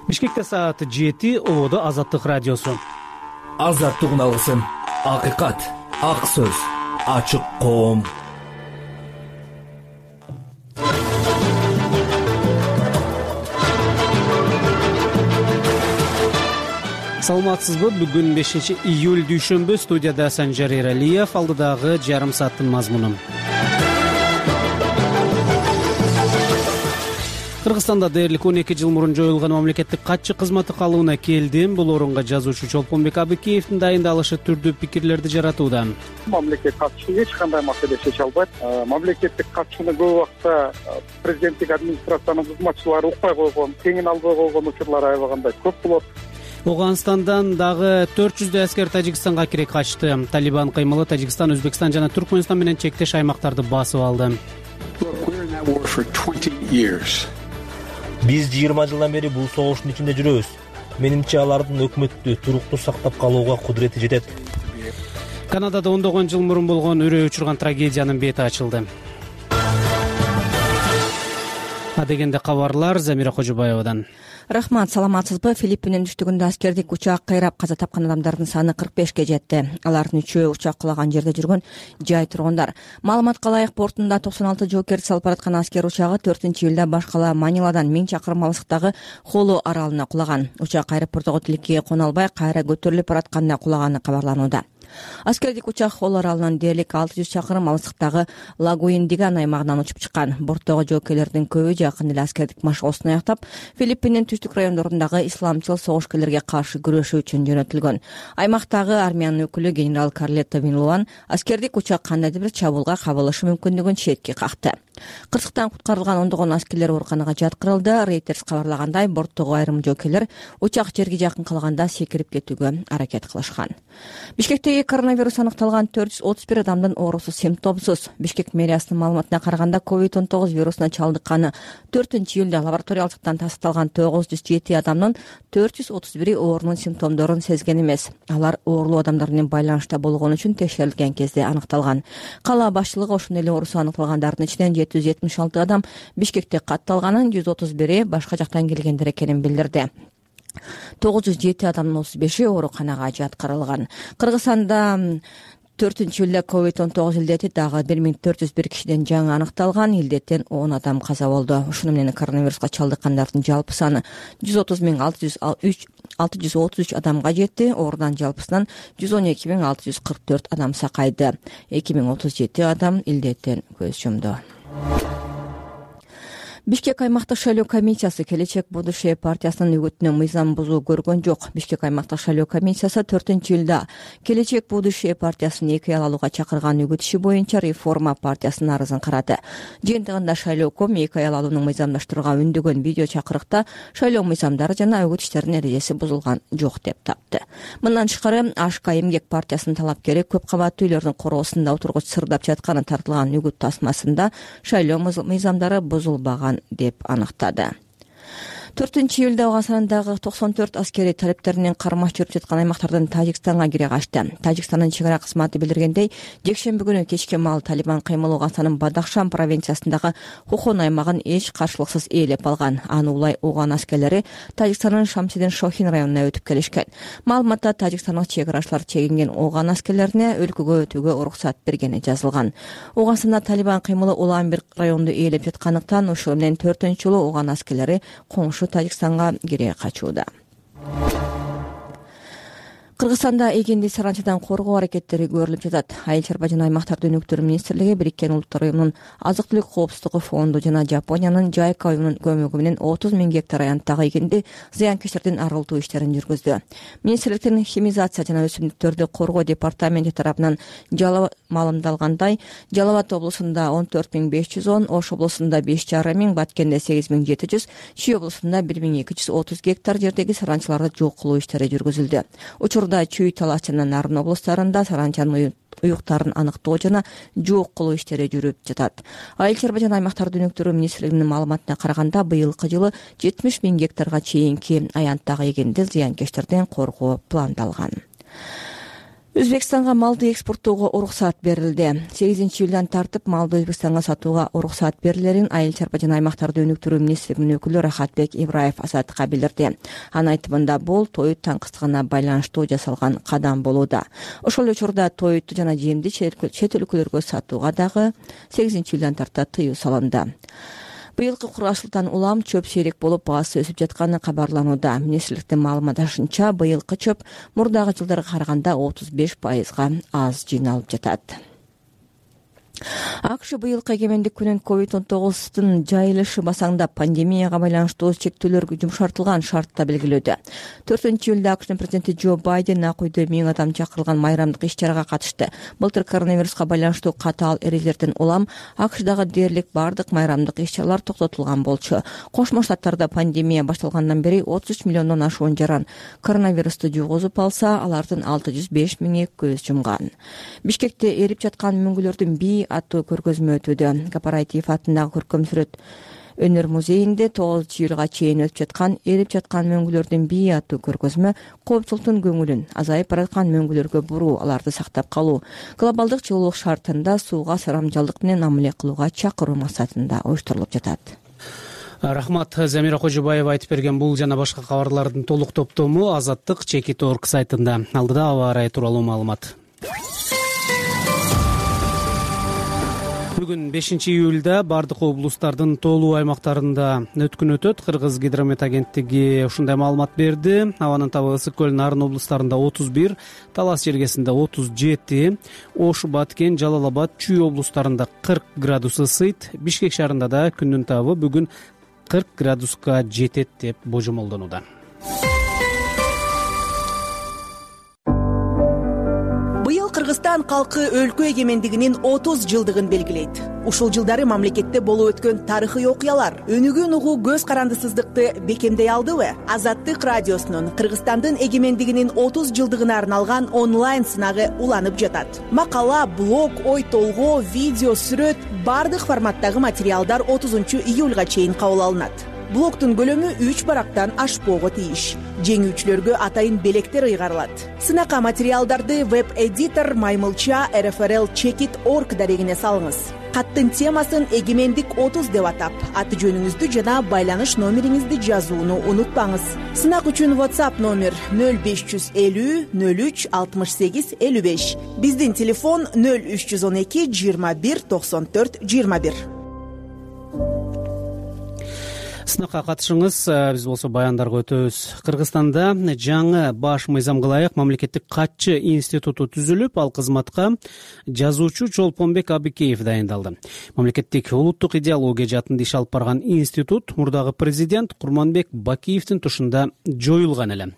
Бишкекте саат 7, Ободо Азаттык радиосу. Азаттык алгысын, акыйкат, ак сөз, ачык коом. Саламатсызбы? Бүгүн 5-июль дүйшөмбү. Студияда Санжар Эралиев. Алдыдагы жарым сааттын мазмуну. Кыргызстанда дээрлик 12 жыл мурун жоюлган мамлекеттик катчы кызматы калыбына келдим. Бул орунга жазуучу Чолпонбек Абыкеевдин дайындалышы түрдүү пикирлерди жаратууда. Мамлекет катчысы эч кандай маселе чече албайт. Мамлекеттик катчыны көп убакта президенттик администрациянын кызматчылары укпай койгон, кеңин албай койгон учурлар аябагандай көп болот. Ооганстандан дагы 400 аскер Тажикстанга кире качты. Талибан кыймылы Тажикстан, Өзбекстан жана Түркмөнстан менен чектеш аймактарды басып алды. Биз 20 жылдан бери бул согуштун ичинде жүрөбүз. Менимче алардын өкмөттү туруктуу сактап калууга кудурети жетет. Канадада ондогон жыл мурун болгон үрөй учурган трагедиянын бети ачылды. Адегенде кабарлар Замира Кожобаевадан. Рахмат, саламатсызбы? Филиппиндин түштүгүндө аскердик учак кыйрап каза тапкан адамдардын саны 45ке жетти. Алардын 3-өө учак кулаган жерде жүргөн жай тургундар. Маалыматка ылайык, бортунда 96 жоокерди салып бараткан аскер учагы 4-июлда башкала Маниладан 1000 чакырым алыстыктагы Холу аралына кулаган. Учак аэропорттогу тилекке кона албай, кайра көтөрүлүп баратканда кулаганы кабарланууда. Аскердик учак Холу аралынан дээрлик 600 чакырым алыстыктагы Лагуиндиган аймагынан учуп чыккан. Борттогу жоокерлердин көбү жакын эле аскердик машыгуусун аяктап, Филиппиндин түштүк райондорундагы исламчыл согушкерлерге каршы күрөшүү үчүн жөнөтүлгөн. Аймактагы армиянын өкүлү генерал Карлетто Винлуан аскердик учак кандайдыр бир чабуулга кабылышы мүмкүндүгүн четке какты. Кырсыктан куткарылган ондогон аскерлер ооруканага жаткырылды. Рейтерс кабарлагандай, борттогу айрым жоокерлер учак жерге жакын калганда секирип кетүүгө аракет кылышкан. Бишкектеги коронавирус аныкталган 431 адамдын оорусу симптомсуз. Бишкек мэриясынын маалыматына караганда, COVID-19 вирусуна чалдыкканы 4-июлда лабораториялыктан тастыкталган 907 адамдын 431 оорунун симптомдорун сезген эмес. Алар оорулуу адамдар менен байланышта болгон үчүн текшерилген кезде аныкталган. Кала башчылыгы ошондой эле оорусу аныкталгандардын ичинен 776 адам Бишкекте катталганын, 131 башка жактан келгендер экенин билдирди. 907 адамдын 35-и ооруканага жаткырылган. Кыргызстанда 4-июлда COVID-19 илдети дагы 1401 кишиден жаңы аныкталган. Илдеттен 10 адам каза болду. Ушуну менен коронавируска чалдыккандардын жалпы саны 130,633 адамга жетти. Оорудан жалпысынан 112,644 адам сакайды. 2037 адам илдеттен көз жумду. Бишкек аймактык шайлоо комиссиясы Келечек будущее партиясынын үгүтүнө мыйзам бузуу көргөн жок. Бишкек аймактык шайлоо комиссиясы 4-июлда Келечек будущее партиясынын 2 ай алууга чакырган үгүт иши боюнча реформа партиясынын арызын карады. Жыйынтыгында шайлооком 2 ай алууну мыйзамдаштырууга үндөгөн видео чакырыкта шайлоо мыйзамдары жана үгүт иштеринин эрежеси бузулган жок деп тапты. Мындан тышкары АШК эмгек партиясынын талапкери көп кабаттуу үйлөрдүн короосунда отургуч сырдап жатканы тартылган үгүт тасмасында шайлоо мыйзамдары бузулбаган деп аныктады. 4-июлда Ооганстандагы 94 аскери талептеринен кармаш жүрүп жаткан аймактардан Тажикстанга кире качты. Тажикстандын чек ара кызматы билдиргендей, жекшемби күнү кечке маал Талибан кыймылы Ооганстандын Бадахшан провинциясындагы Хухон аймагын эч каршылыксыз ээлеп алган. Аны улай Ооган аскерлери Тажикстандын Шамсидин Шохин районуна өтүп келишкен. Маалыматта тажикстандык чек арачылар чегинген Ооган аскерлерине өлкөгө өтүүгө уруксат бергени жазылган. Ооганстанда Талибан кыймылы улам бир районду ээлеп жаткандыктан ошол менен 4-июлда Ооган аскерлери коңшу Тажикстанга кире качууда. Кыргызстанда эгинди саранчадан коргоо аракеттери көрүлүп жатат. Айыл чарба жана аймактар өнүктүрүү министрлиги Бириккен Улуттар уюмунун Азык-түлүк коопсуздугу фонду жана Жапониянын Жайка уюмунун көмөгү менен 30 000 гектар аянттагы эгинди зыянкечтердин арылтуу иштерин жүргүздү. Министрликтин химизация жана өсүмдүктөрдү коргоо департаменти тарабынан маалымдалгандай, Жалал Абад облусунда 14 510, Ош облусунда 5,5 миң, Баткенде 8700, Чүй облусунда 1230 гектар жердеги саранчаларды жок кылуу иштери жүргүзүлдү. Чүй, Талас жана Нарын облустарында саранчанын уюктарын аныктоо жана жок кылуу иштери жүрүп жатат. Айыл чарба жана аймактарды өнүктүрүү министрлигинин маалыматына караганда, быйылкы жылы 70 000 гектарга чейинки аянттагы эгинди зыянкечтерден коргоо пландалган. Өзбекстанга малды экспорттоого уруксат берилди. 8-июлдан тартып малды Өзбекстанга сатууга уруксат берилерин Айыл чарба жана аймактарды өнүктүрүү министрлигинин өкүлү Рахатбек Ибраев Азаттыкка билдирди. Анын айтымында бул тоют таңкыстыгына байланыштуу жасалган кадам болууда. Ошол эле учурда тоютту жана жемди чет өлкөлөргө сатууга дагы 8-июлдан тарта тыюу салынды. Быйылкы кургашылтан улам чөп сейрек болуп баасы өсүп жатканы кабарланууда. Министрликтин маалыматынча быйылкы чөп мурдагы жылдарга караганда 35% аз жыйналып жатат. АКШ быйылкы эгемендик күнүн COVID-19 жайылышы басаңдап пандемияга байланыштуу чектөөлөр жумшартылган шартта белгилөөдө. 4-июлда АКШнын президенти Джо Байден ак үйдө 1000 адам чакырылган майрамдык иш-чарага катышты. Былтыр коронавируска байланыштуу катаал эрежелерден улам АКШдагы дээрлик бардык майрамдык иш-чаралар токтотулган болчу. Кошмо Штаттарда пандемия башталгандан бери 33 миллиондон ашуун жаран коронавирусту жугузуп алса, алардын 605 миңи көз жумган. Бишкекте эрип жаткан мөңгүлөрдүн бий аттуу көргөзмө өтүүдө. Кооператив атындагы көркөм сүрөт өнөр музейинде 9-июлга чейин өтүп жаткан эрип жаткан мөңгүлөрдүн бий аттуу көргөзмө коопчулуктун көңүлүн азайып бараткан мөңгүлөргө буруу, аларды сактап калуу, глобалдык жылуулук шартында сууга сарамжалдык менен амиле кылууга чакыруу максатында уюштурулуп жатат. Рахмат. Замира Кожобаева айтып берген бул жана башка кабарлардын толук топтому Азаттык Чекит.org сайтында. Алдыда аба ырайы тууралуу маалымат. Бүгүн 5-июлда бардык облустардын тоолуу аймактарында өткүн өтөт. Кыргыз гидромет агенттиги ушундай маалымат берди. Абанын табы Ысык көл, Нарын облустарында 31, Талас Жергесинде 37, Ош, Баткен, Жалал Абад, Чүй облустарында 40 градус ысыйт. Бишкек шаарында да күндүн табы бүгүн 40 градуска жетет деп божомолдонууда. Быйыл Кыргызстан калкы өлкө эгемендигинин 30 жылдыгын белгилейт. Ушул жылдары мамлекетте болуп өткөн тарыхый окуялар өнүгүүнү угуу көз карандысыздыкты бекемдей алдыбы? Азаттык радиосунун Кыргызстандын эгемендигинин 30 жылдыгына арналган онлайн сынагы уланып жатат. Макала, блог, ой толгоо, видео, сүрөт бардык форматтагы материалдар 30-июлга чейин кабыл алынат. Блогтун көлөмү 3 барактан ашпоого тийиш. Жеңүүчүлөргө атайын белектер ыйгарылат. Сынакка материалдарды веб-эдитор Маймылча RFRL Chekit.org дарегине салыңыз. Каттын темасын эгемендик 30 деп атап, аты жөнүңүздү жана байланыш номериңизди жазууну унутпаңыз. Сынак үчүн WhatsApp номер 0550 03 68 55. Биздин телефон 0312 21 94 21. Сынакка катышыңыз, биз болсо баяндарга өтөбүз. Кыргызстанда жаңы баш мыйзам кылайык мамлекеттик катчы институту түзүлүп, ал кызматка жазуучу Чолпонбек Абыкеев дайындалды. Мамлекеттик улуттук идеология жаатында иш алып барган институт мурдагы президент Курманбек Бакиевдин тушунда жоюлган эле.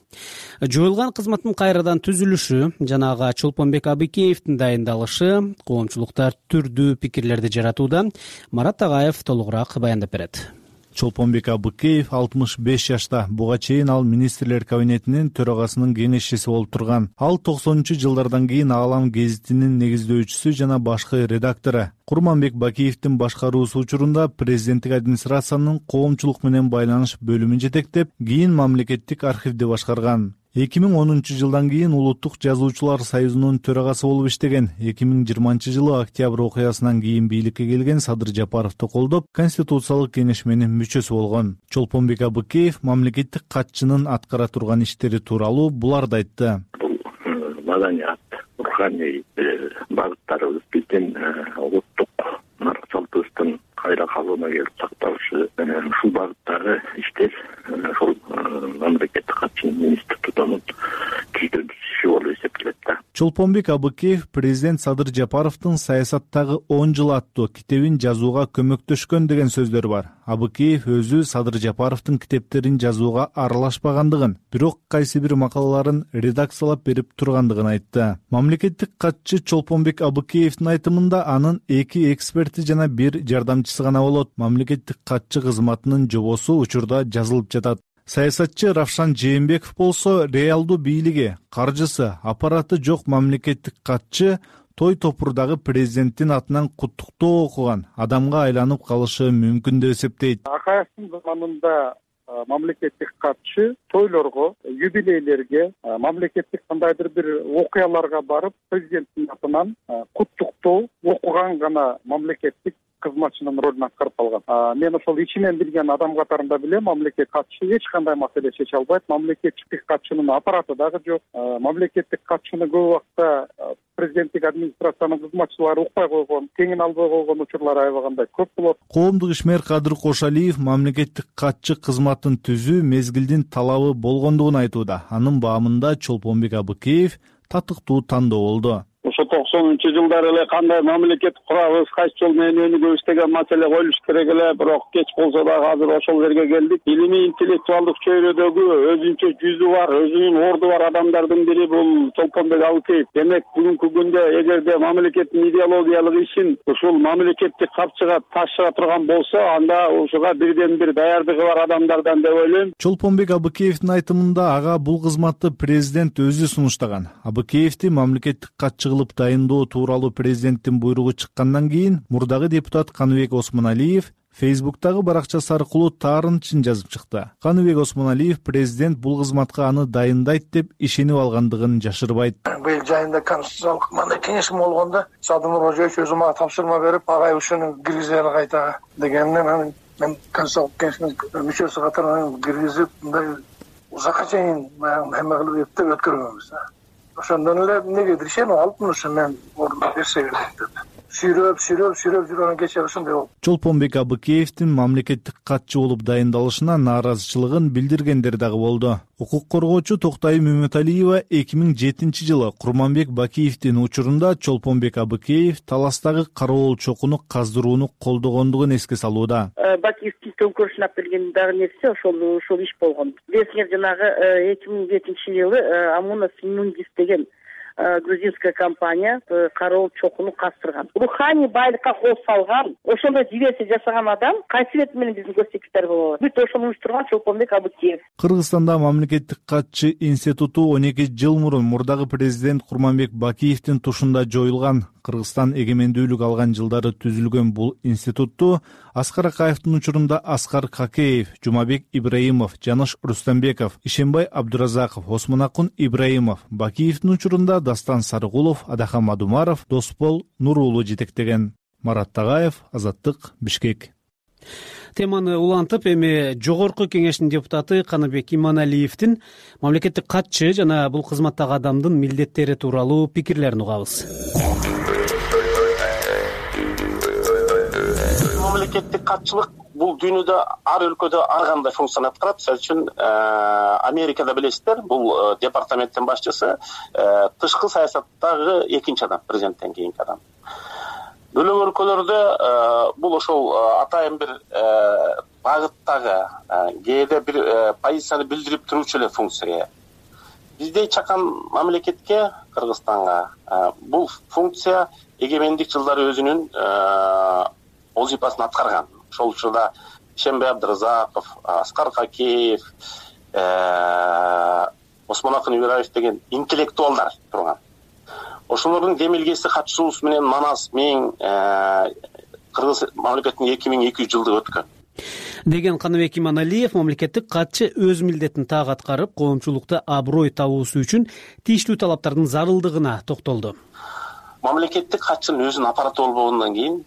Жоюлган кызматтын кайрадан түзүлүшү жана ага Чолпонбек Абыкеевдин дайындалышы коомчулукта түрдүү пикирлерди жаратууда. Марат Тагаев толугураак баяндап берет. Чолпонбек Абыкеев 65 жашта. Буга чейин ал министрлер кабинетинин төрагасынын кеңешчиси болуп турган. Ал 90-жылдардан кийин Аалам гезитинин негиздөөчүсү жана башкы редактору. Курманбек Бакиевдин башкаруусу учурунда президенттик администрациянын коомчулук менен байланыш бөлүмүн жетектеп, кийин мамлекеттик архивди башкарган. 2010 жылдан кийин Улуттук жазуучулар союзунун төрагасы болуп иштеген. 2020 жылы октябрь окуясынан кийин бийликке келген Садыр Жапаровду колдоп, конституциялык кеңешменин мүчөсү болгон. Чолпонбек Абыкеев мамлекеттик катчынын аткара турган иштери тууралуу буларды айтты. Бул маданият, руханий багыттарыбыз биздин улуттук нарк салтыбыздын кайра калууна келип сакталышы, ушул багыттагы иштер ошол мамлекеттик катчынын институтунун түздөрүшү болуп эсептелет да. Чолпонбек Абыкеев президент Садыр Жапаровдун саясаттагы 10 жыл аттуу китебин жазууга көмөктөшкөн деген сөздөр бар. Абыкеев өзү Садыр Жапаровдун китептерин жазууга аралашпагандыгын, бирок кайсы бир макалаларын редакциялап берип тургандыгын айтты. Мамлекеттик катчы Чолпонбек Абыкеевдин айтымында анын 2 эксперти жана 1 жардамчысы гана болот. Мамлекеттик катчы кызматынын жобосу учурда жазылып жатат. Саясатчы Равшан Жээнбеков болсо реалдуу бийлиги, каржысы, аппараты жок мамлекеттик катчы той топурдагы президенттин атынан куттуктоо окуган адамга айланып калышы мүмкүн деп эсептейт. Акаевдин заманында мамлекеттик катчы тойлорго, юбилейлерге, мамлекеттик кандайдыр бир окуяларга барып, президенттин атынан куттуктоо окуган гана мамлекеттик кызматчынын ролун аткарып калган. Мен ошол ичинен билген адам катарында билем, мамлекеттик катчы эч кандай маселе чече албайт. Мамлекеттик катчынын аппараты дагы жок. Мамлекеттик катчыны көп убакта президенттик администрациянын кызматчылары укпай койгон, теңин албай койгон учурлар аябагандай көп болот. Коомдук ишмер Кадыр Кошалиев мамлекеттик катчы кызматын түзүү мезгилдин талабы болгондугун айтууда. Анын баамында Чолпонбек Абыкеев татыктуу тандоо болду. Ошо 90-жылдары эле кандай мамлекет курабыз, кайсы жол менен өнүгөбүз деген маселе коюлуш керек эле, бирок кеч болсо дагы азыр ошол жерге келдик. Илимий интеллектуалдык чөйрөдөгү өзүнчө жүзү бар, өзүнүн орду бар адамдардын бири бул Чолпонбек Абыкеев. Демек бүгүнкү күндө эгерде мамлекеттин идеологиялык ишин ушул мамлекеттик капчыга ташыра турган болсо, анда ушуга бирден бир даярдыгы бар адамдардан деп ойлойм. Чолпонбек Абыкеевдин айтымында ага бул кызматты президент өзү сунуштаган. Абыкеевди мамлекеттик катчы кылып дайындоо тууралуу президенттин буйругу чыккандан кийин мурдагы депутат Каныбек Осмоналиев Фейсбуктагы баракчасы аркылуу таарынчын жазып чыкты. Каныбек Осмоналиев президент бул кызматка аны дайындайт деп ишенип алгандыгын жашырбайт. Быйыл жайында конституциялык мындай кеңешим болгондо Садыр Кожоевич өзү мага тапшырма берип, агай ушуну киргизели кайта дегенинен мен конституциялык кеңештин мүчөсү катары киргизип, мындай узакка чейин эме кылып эптеп өткөргөнбүз. Ошондон эле негедир ишенип алыпмын, ошо мен ордуна берсе керек деп. Сүйрөп жүргөн кечээ ушундай болду. Чолпонбек Абыкеевдин мамлекеттик катчы болуп дайындалышына нааразычылыгын билдиргендер дагы болду. Укук коргоочу Токтай Мөмөталиева 2007-жылы Курманбек Бакиевдин учурунда Чолпонбек Абыкеев Таластагы кароол чокуну каздырууну колдогондугун эске салууда. Бакиевдин төңкөрүшүнө алып келген дагы нерсе ошол иш болгон. Билесиңер, жанагы 2007-жылы Амуна Симундис деген грузинская компания кароол чокуну кастырган. Руханий байлыкка кол салган, ошондой диверсия жасаган адам кайсы бет менен биздин госсекретарь болот? Бүт ошону уюштурган Чолпонбек Абыкеев. Кыргызстанда мамлекеттик катчы институту 12 жыл мурун мурдагы президент Курманбек Бакиевдин тушунда жоюлган. Кыргызстан эгемендүүлүк алган жылдары түзүлгөн бул институтту Аскар Акаевдин учурунда Аскар Какеев, Жумабек Ибраимов, Жаныш Рустамбеков, Ишенбай Абдуразаков, Осмонакун Ибраимов, Бакиевдин учурунда Дастан Сарыгулов, Адахан Мадумаров, Доспол Нурулу жетектеген. Марат Тагаев, Азаттык, Бишкек. Теманы улантып, эми жогорку кеңештин депутаты Каныбек Иманалиевдин мамлекеттик катчы жана бул кызматтагы адамдын милдеттери тууралуу пикирлерин угабыз. Мамлекеттик катчылык бул дүйнөдө ар өлкөдө ар кандай функцияны аткарат. Мисалы үчүн Америкада билесиздер, бул департаменттин башчысы тышкы саясаттагы экинчи адам, президенттен кийинки адам. Бөлөк өлкөлөрдө бул ошол атайын бир багыттагы кээде бир позицияны билдирип турчу эле функцияга. Бизде чакан мамлекетке, Кыргызстанга бул функция эгемендик жылдары өзүнүн вазифасын аткарган. Ошол учурда Ишенбай Абдуразаков, Аскар Какеев, Осмонакун Ибраимов деген интеллектуалдар турган. Ошолордун демилгеси катышуусу менен Манас мен Кыргыз мамлекетинин 2200 жылдыгы өткөн. Деген Каныбек Иманалиев мамлекеттик катчы өз милдетин так аткарып, коомчулукта аброй табуусу үчүн тийиштүү талаптардын зарылдыгына токтолду. Мамлекеттик катчынын өзүнүн аппараты болбогондон кийин,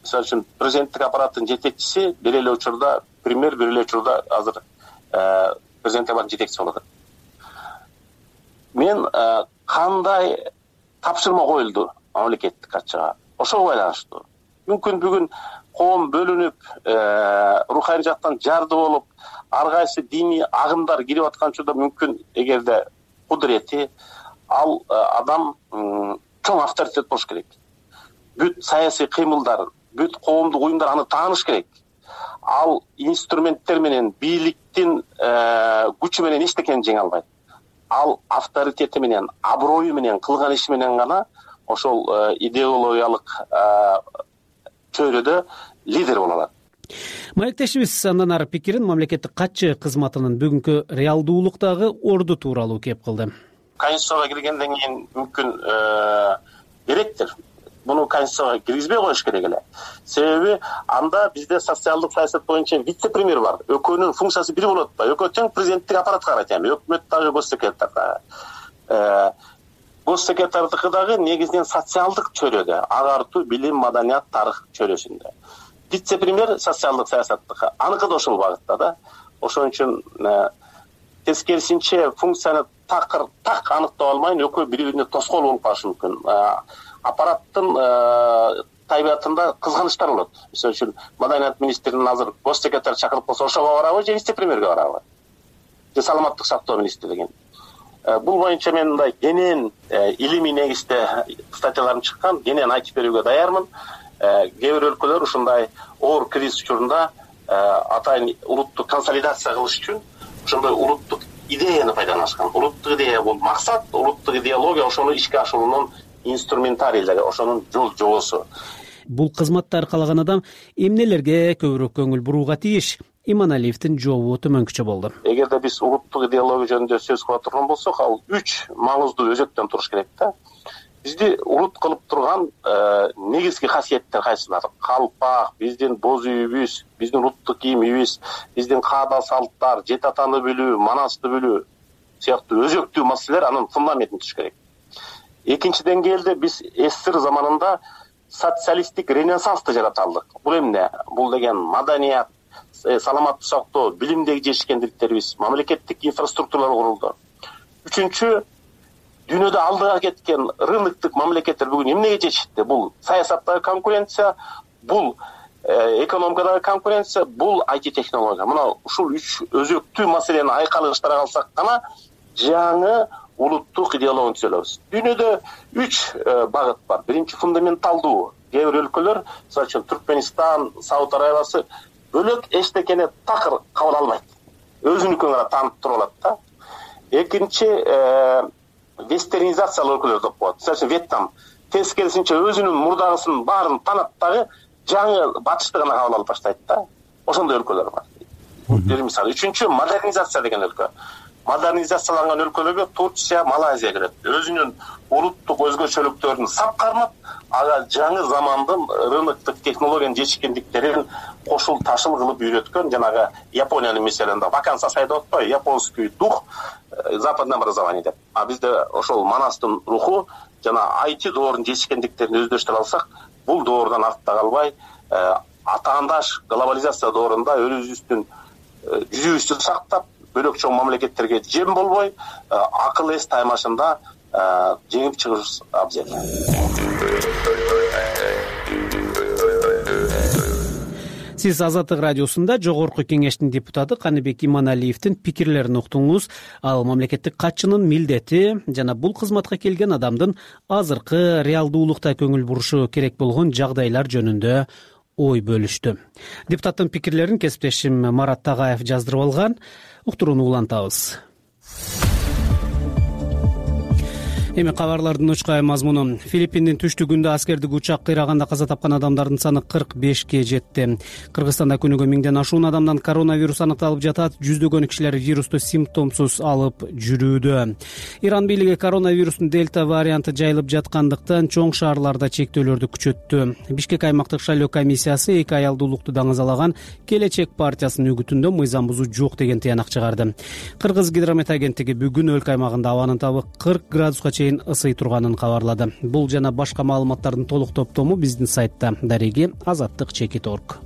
мисалы үчүн президенттик аппараттын жетекчиси бир эле учурда премьер, бир эле учурда азыр президенттик аппараттын жетекчиси болот. Мен кандай тапшырма коюлду мамлекеттик катчыга? Ошого байланыштуу. Мүмкүн бүгүн коом бөлүнүп, руханий жактан жарды болуп, ар кайсы диний агымдар кирип аткан учурда мүмкүн эгерде кудурети ал адам чоң авторитет болуш керек. Бүт саясий кыймылдар, бүт коомдук уюмдар аны тааныш керек. Ал инструменттер менен, бийликтин күчү менен эчтекени жеңе албайт. Ал авторитети менен, аброю менен, кылган иши менен гана ошол идеологиялык чөйрөдө лидер боло алат. Маектешибиз андан ары пикирин мамлекеттик катчы кызматынын бүгүнкү реалдуулуктагы орду тууралуу кеп кылды. Конституцияга киргенден кийин мүмкүн керектир. муну конституцияга киргизбей коюш керек эле. Себеби анда бизде социалдык саясат боюнча вице-премьер бар. Экөөнүн функциясы бир болуп атпайбы? Экөө тең президенттик аппаратка карайт, эми өкмөт дагы, госсекретар дагы. Госсекретардыкы дагы негизинен социалдык чөйрөдө, агартуу, билим, маданият, тарых чөйрөсүндө. Вице-премьер социалдык саясаттыкы, аныкы да ошол багытта да. Ошон үчүн тескерисинче функцияны так аныктап алмайын, экөө бири-бирине тоскоол болуп калышы мүмкүн. Аппараттын табиятында кызганычтар болот. Мисалы үчүн маданият министринин азыр госсекретар чакырып калса, ошого барабы же вице-премьерге барабы? Же саламаттык сактоо министри деген. Бул боюнча мен мындай кенен илимий негизде статьяларым чыккан, кенен айтып берүүгө даярмын. Кээ бир өлкөлөр ушундай оор кризис учурунда атайын улуттук консолидация кылыш үчүн ошондой улуттук идеяны пайдаланышкан. Улуттук идея бул максат, улуттук идеология ошону ишке ашыруунун инструментарий, ошонун жол жобосу. Бул кызматты аркалаган адам эмнелерге көбүрөөк көңүл бурууга тийиш? Иманалиевдин жообу төмөнкүчө болду. Эгерде биз улуттук идеология жөнүндө сөз кыла турган болсок, ал 3 маңыздуу өзөктөн туруш керек да. Бизди улут кылып турган негизги касиеттер кайсылар? Калпак, биздин боз үйүбүз, биздин улуттук кийимибиз, биздин каада салттар, жет атаны билүү, манасты билүү сыяктуу өзөктүү маселелер анын фундаментин түзүш керек. Экинчи деңгээлде биз СССР заманында социалисттик ренессансты жарата алдык. Бул эмне? Бул деген маданият, саламаттык сактоо, билимдеги жетишкендиктерибиз, мамлекеттик инфраструктуралар курулду. Үчүнчү, дүйнөдө алдыга кеткен рыноктук мамлекеттер бүгүн эмнеге жетишти? Бул саясаттагы конкуренция, бул экономикадагы конкуренция, бул IT технология. Мына ушул 3 өзөктүү маселени айкалыштыра калсак гана жаңы улуттук идеологияны түзөлөбүз. Дүйнөдө 3 багыт бар. Биринчи фундаменталдуу. Кээ бир өлкөлөр, мисалы үчүн Түркмөнстан, Сауд Арабиясы бөлөк эчтекени такыр кабыл албайт. Өзүнүкүн гана таанып туруп алат да. Экинчи вестернизациялуу өлкөлөр деп коет. Мисалы үчүн Вьетнам тескерисинче өзүнүн мурдагысын баарын таанат дагы жаңы батышты гана кабыл алып баштайт да. Ошондой өлкөлөр бар. Бир мисал. Үчүнчү модернизация деген өлкө. Модернизацияланган өлкөлөргө Турция, Малайзия кирет. Өзүнүн улуттук өзгөчөлүктөрүн сап кармап, ага жаңы замандын рыноктук технологиянын жетишкендиктерин кошул ташыл кылып үйрөткөн, жанагы Япониянын мисалында вакансия сайда отпой, японский дух, западное образование деп. А бизде ошол манастын руху жана IT доорунун жетишкендиктерин өздөштүрө алсак, бул доордон артта калбай, атаандаш глобализация доорунда өзүбүздүн жүзүбүздү сактап, бөлөк чоң мамлекеттерге жем болбой, акыл эс таймашында жеңип чыгыш абзел. Сиз Азаттык радиосунда Жогорку Кеңештин депутаты Каныбек Иманалиевдин пикирлерин уктуңуз. Ал мамлекеттик катчынын милдети жана бул кызматка келген адамдын азыркы реалдуулукта көңүл бурушу керек болгон жагдайлар жөнүндө ой бөлүштү. Депутаттын пикирлерин кесиптешим Марат Тагаев жаздырып алган. Уктурууну улантабыз. Эми кабарлардын учкай мазмуну. Филиппиндин түштүгүндө аскердик учак кыйраганда каза тапкан адамдардын саны 45ке жетти. Кыргызстанда күнүгө 1000ден ашуун адамдан коронавирус аныкталып жатат. Жүздөгөн кишилер вирусту симптомсуз алып жүрүүдө. Иран бийлиги коронавирустун дельта варианты жайылып жаткандыктан чоң шаарларда чектөөлөрдү күчөттү. Бишкек аймактык шайлоо комиссиясы 2 аялдуулукту даңазалаган Келечек партиясынын үгүтүндө мыйзам бузуу жок деген тыянак чыгарды. Кыргыз гидромет агенттиги бүгүн өлкө аймагында абанын табы 40 градуска ысый турганын кабарлады. Бул жана башка маалыматтардын толук топтому биздин сайтта. Дареги azattik.org.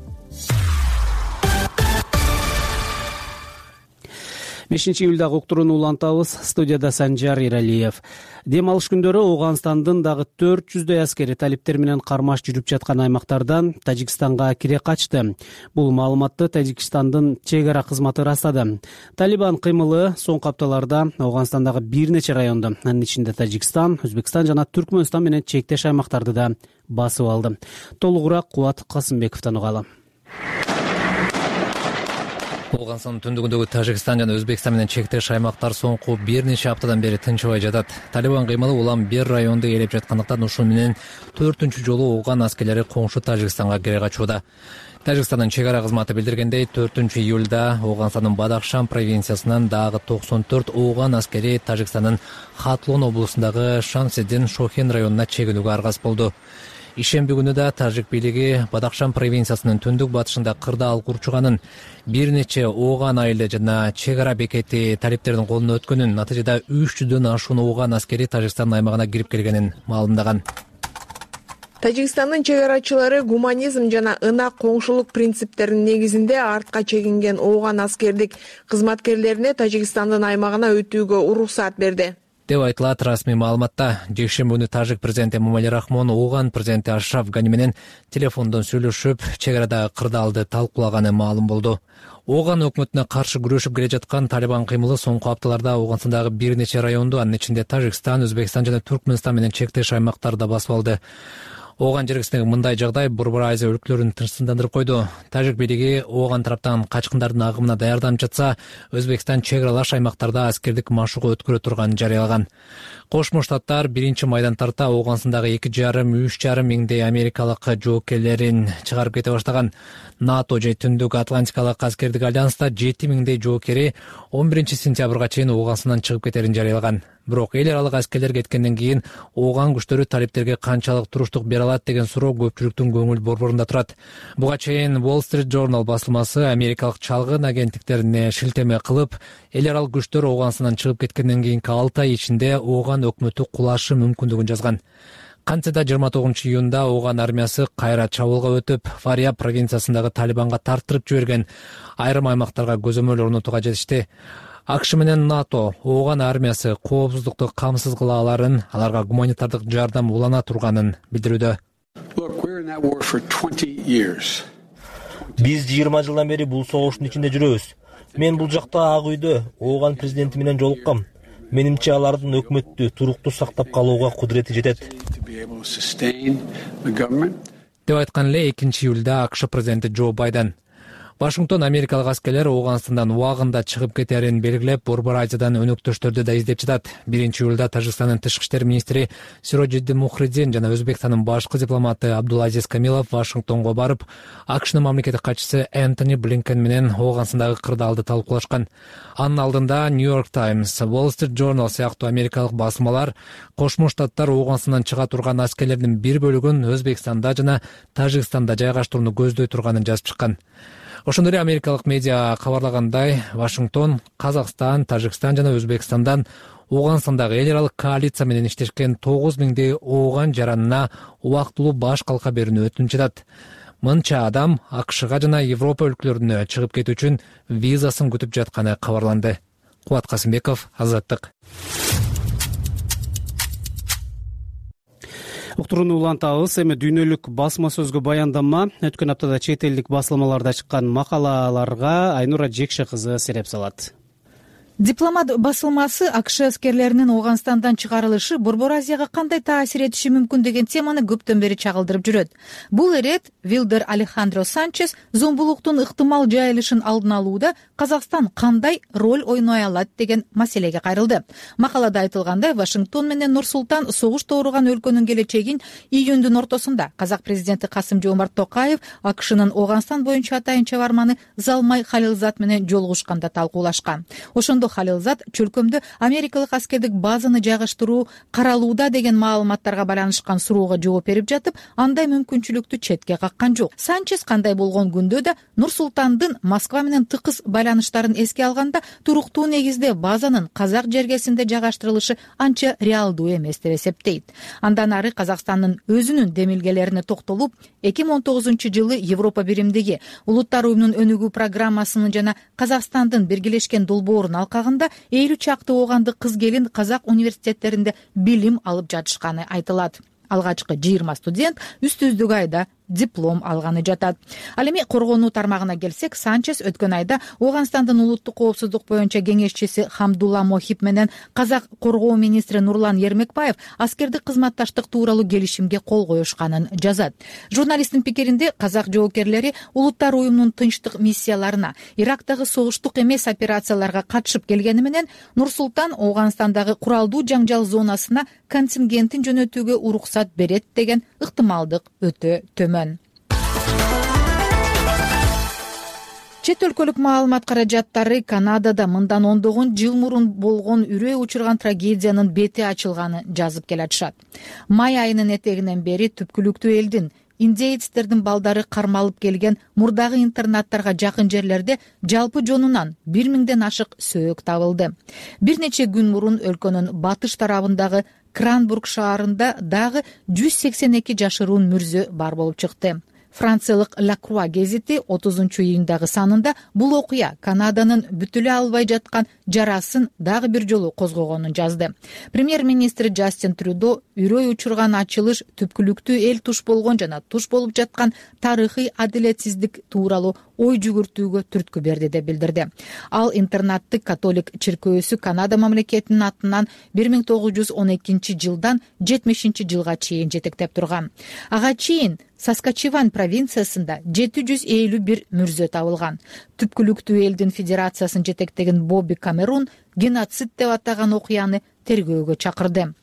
5-июлдагы уктурууну улантабыз. Студияда Санжар Иралиев. Дем алыш күндөрү Ооганстандын дагы 400дөй аскери талиптер менен кармаш жүрүп жаткан аймактардан Тажикстанга кире качты. Бул маалыматты Тажикстандын чек ара кызматы ырастады. Талибан кыймылы соңку апталарда Ооганстандагы бир нече районду, анын ичинде Тажикстан, Өзбекстан жана Түркмөнстан менен чектеш аймактарды да басып алды. Толугураак Кубат Касымбековдон угалы. Ооганстандын түндүгүндөгү Тажикстан жана Өзбекстан менен чектеш аймактар соңку бир нече аптадан бери тынчыбай жатат. Талибан кыймылы улам бир районду ээлеп жаткандыктан ушул менен 4-үнчү жолу ооган аскерлери коңшу Тажикстанга кире качууда. Тажикстандын чек ара кызматы билдиргендей, 4-июлда Ооганстандын Бадахшан провинциясынан дагы 94 ооган аскери Тажикстандын Хатлон облусундагы Шамседдин Шохен районуна чегинүүгө аргасыз болду. Ишемби күнү да тажик бийлиги Бадахшан провинциясынын түндүк батышында кырдаал курчуганын, бир нече ооган айылы жана чек ара бекети талиптердин колуна өткөнүн, натыйжада 300дөн ашуун ооган аскери Тажикстандын аймагына кирип келгенин маалымдаган. Тажикстандын чек арачылары гуманизм жана ынак коңшулук принциптеринин негизинде артка чегинген ооган аскердик кызматкерлерине Тажикстандын аймагына өтүүгө уруксат берди деп айтылат расмий маалыматта. Жекшемби күнү тажик президенти Эмомали Рахмон ооган президенти Ашраф Гани менен телефондон сүйлөшүп, чек арадагы кырдаалды талкуулаганы маалым болду. Ооган өкмөтүнө каршы күрөшүп келе жаткан Талибан кыймылы соңку апталарда Ооганстандагы бир нече районду, анын ичинде Тажикстан, Өзбекстан жана Түркмөнстан менен чектеш аймактарда басып алды. Ооган жергесиндеги мындай жагдай Борбор Азия өлкөлөрүн тынчсыздандырып койду. Тажик бийлиги Ооган тараптан качкындардын агымына даярданып жатса, Өзбекстан чек аралаш аймактарда аскердик машыгуу өткөрө турганын жарыялаган. Кошмо Штаттар 1-майдан тарта Ооганстандагы 2,5–3,5 миңдей америкалык жоокерлерин чыгарып кете баштаган. НАТО же Түндүк Атлантикалык аскердик альянста 7 миңдей жоокери 11-сентябрга чейин Ооганстандан чыгып кетерин жарыялаган. Бирок эл аралык аскерлер кеткенден кийин ооган күчтөрү талиптерге канчалык туруштук бере алат деген суроо көпчүлүктүн көңүл борборунда турат. Буга чейин Wall Street Journal басылмасы америкалык чалгын агенттиктерине шилтеме кылып, эл аралык күчтөр Ооганстандан чыгып кеткенден кийинки 6 ай ичинде Ооган өкмөтү кулашы мүмкүндүгүн жазган. Кантсе да 29-июнда Ооган армиясы кайра чабуулга өтүп, Фарияб провинциясындагы Талибанга тартырып жиберген айрым аймактарга көзөмөл орнотууга жетишти. АКШ менен НАТО Ооган армиясы коопсуздукту камсыз кыла аларын, аларга гуманитардык жардам улана турганын билдирүүдө. Биз 20 жылдан бери бул согуштун ичинде жүрөбүз. Мен бул жакта Ак үйдө Ооган президенти менен жолуккам. Менимче алардын өкмөттү туруктуу сактап калууга кудурети жетет. Деп айткан эле 2-июлда АКШ президенти Джо Байден. Вашингтон америкалык аскерлер Ооганстандан убагында чыгып кетерин белгилеп, Борбор Азиядан өнөктөштөрдү да издеп жатат. 1-июлда Тажикстандын тышкы иштер министри Сироджиддин Мухридин жана Өзбекстандын башкы дипломаты Абдулазиз Камилов Вашингтонго барып, АКШнын мамлекеттик катчысы Энтони Блинкен менен Ооганстандагы кырдаалды талкуулашкан. Анын алдында New York Times, Wall Street Journal сыяктуу америкалык басмалар Кошмо Штаттар Ооганстандан чыга турган аскерлердин бир бөлүгүн Өзбекстанда жана Тажикстанда жайгаштырууну көздөй турганын жазып чыккан. Ошондой эле америкалык медиа кабарлагандай, Вашингтон, Казакстан, Тажикстан жана Өзбекстандан Ооганстандагы эл аралык коалиция менен иштешкен 9 миңдей ооган жаранына убактылуу баш калка берүүнү өтүнүч жатат. Мынча адам АКШга жана Европа өлкөлөрүнө чыгып кетүү үчүн визасын күтүп жатканы кабарланды. Кубат Касымбеков, Азаттык. Уктурууну улантабыз. Эми дүйнөлүк басма сөзгө баяндама. Өткөн аптада чет элдик басылмаларда чыккан макалаларга Айнура Жекше кызы сереп салат. Дипломат басылмасы АКШ аскерлеринин Ооганстандан чыгарылышы Борбор Азияга кандай таасир этиши мүмкүн деген теманы көптөн бери чагылдырып жүрөт. Бул ирет Вилдер Алехандро Санчес зомбулуктун ыктымал жайылышын алдын алууда Казакстан кандай роль ойной алат деген маселеге кайрылды. Макалада айтылгандай, Вашингтон менен Нур-Султан согуш ооруган өлкөнүн келечегин июндун ортосунда казак президенти Касым-Жомарт Токаев АКШнын Ооганстан боюнча атайын чабарманы Залмай Халилзад менен жолугушканда талкуулашкан. Ошондо Халилзад чөлкөмдө америкалык аскердик базаны жайгаштыруу каралууда деген маалыматтарга байланышкан суроого жооп берип жатып, андай мүмкүнчүлүктү четке каккан жок. Санчес кандай болгон күндө да Нур-Султандын Москва менен тыкыз байланыштарын эске алганда, туруктуу негизде базанын казак жергесинде жайгаштырылышы анча реалдуу эмес деп эсептейт. Андан ары Казакстандын өзүнүн демилгелерине токтолуп, 2019-жылы Европа биримдиги Улуттар уюмунун өнүгүү программасынын жана Казакстандын биргелешкен долбоорун алкагында 50 чакты оогандык кыз келин казак университеттеринде билим алып жатышканы айтылат. Алгачкы 20 студент үстүздүк айда диплом алганы жатат. Ал эми коргонуу тармагына келсек, Санчес өткөн айда Ооганстандын улуттук коопсуздук боюнча кеңешчиси Хамдулла Мохип менен казак коргоо министри Нурлан Ермекбаев аскердик кызматташтык тууралуу келишимге кол коюшканын жазат. Журналисттин пикиринде, казак жоокерлери Улуттар уюмунун тынчтык миссияларына, Ирактагы согуштук эмес операцияларга катышып келгени менен Нур-Султан Ооганстандагы куралдуу жаңжал зонасына контингентин жөнөтүүгө уруксат берет деген ыктымалдык өтө төмөн. чет өлкөлүк маалымат каражаттары Канадада мындан ондогон жыл мурун болгон үрөй учурган трагедиянын бети ачылганын жазып келатышат. Май айынын этегинен бери түпкүлүктүү элдин индеецтердин балдары кармалып келген мурдагы интернаттарга жакын жерлерде жалпы жонунан 1000ден ашык сөөк табылды. Бир нече күн мурун өлкөнүн батыш тарабындагы Кранбург шаарында дагы 182 жашыруун мүрзө бар болуп чыкты. Франциялык La Croix гезити 30-июндагы санында бул окуя Канаданын бүтүлө албай жаткан жарасын дагы бир жолу козгогонун жазды. Премьер-министр Джастин Трюдо үрөй учурган ачылыш түпкүлүктүү эл туш болгон жана туш болуп жаткан тарыхый адилетсиздик тууралуу ой жүгүртүүгө түрткү берди деп билдирди. Ал интернатты католик чиркөөсү Канада мамлекетинин атынан 1912 жылдан 70 жылга чейин жетектеп турган. Ага чейин Саскачеван провинциясында 751 мүрзө табылган. Түпкүлүктүү элдин федерациясын жетектеген Бобби Камерун геноцид деп атаган окуяны тергөөгө чакырды.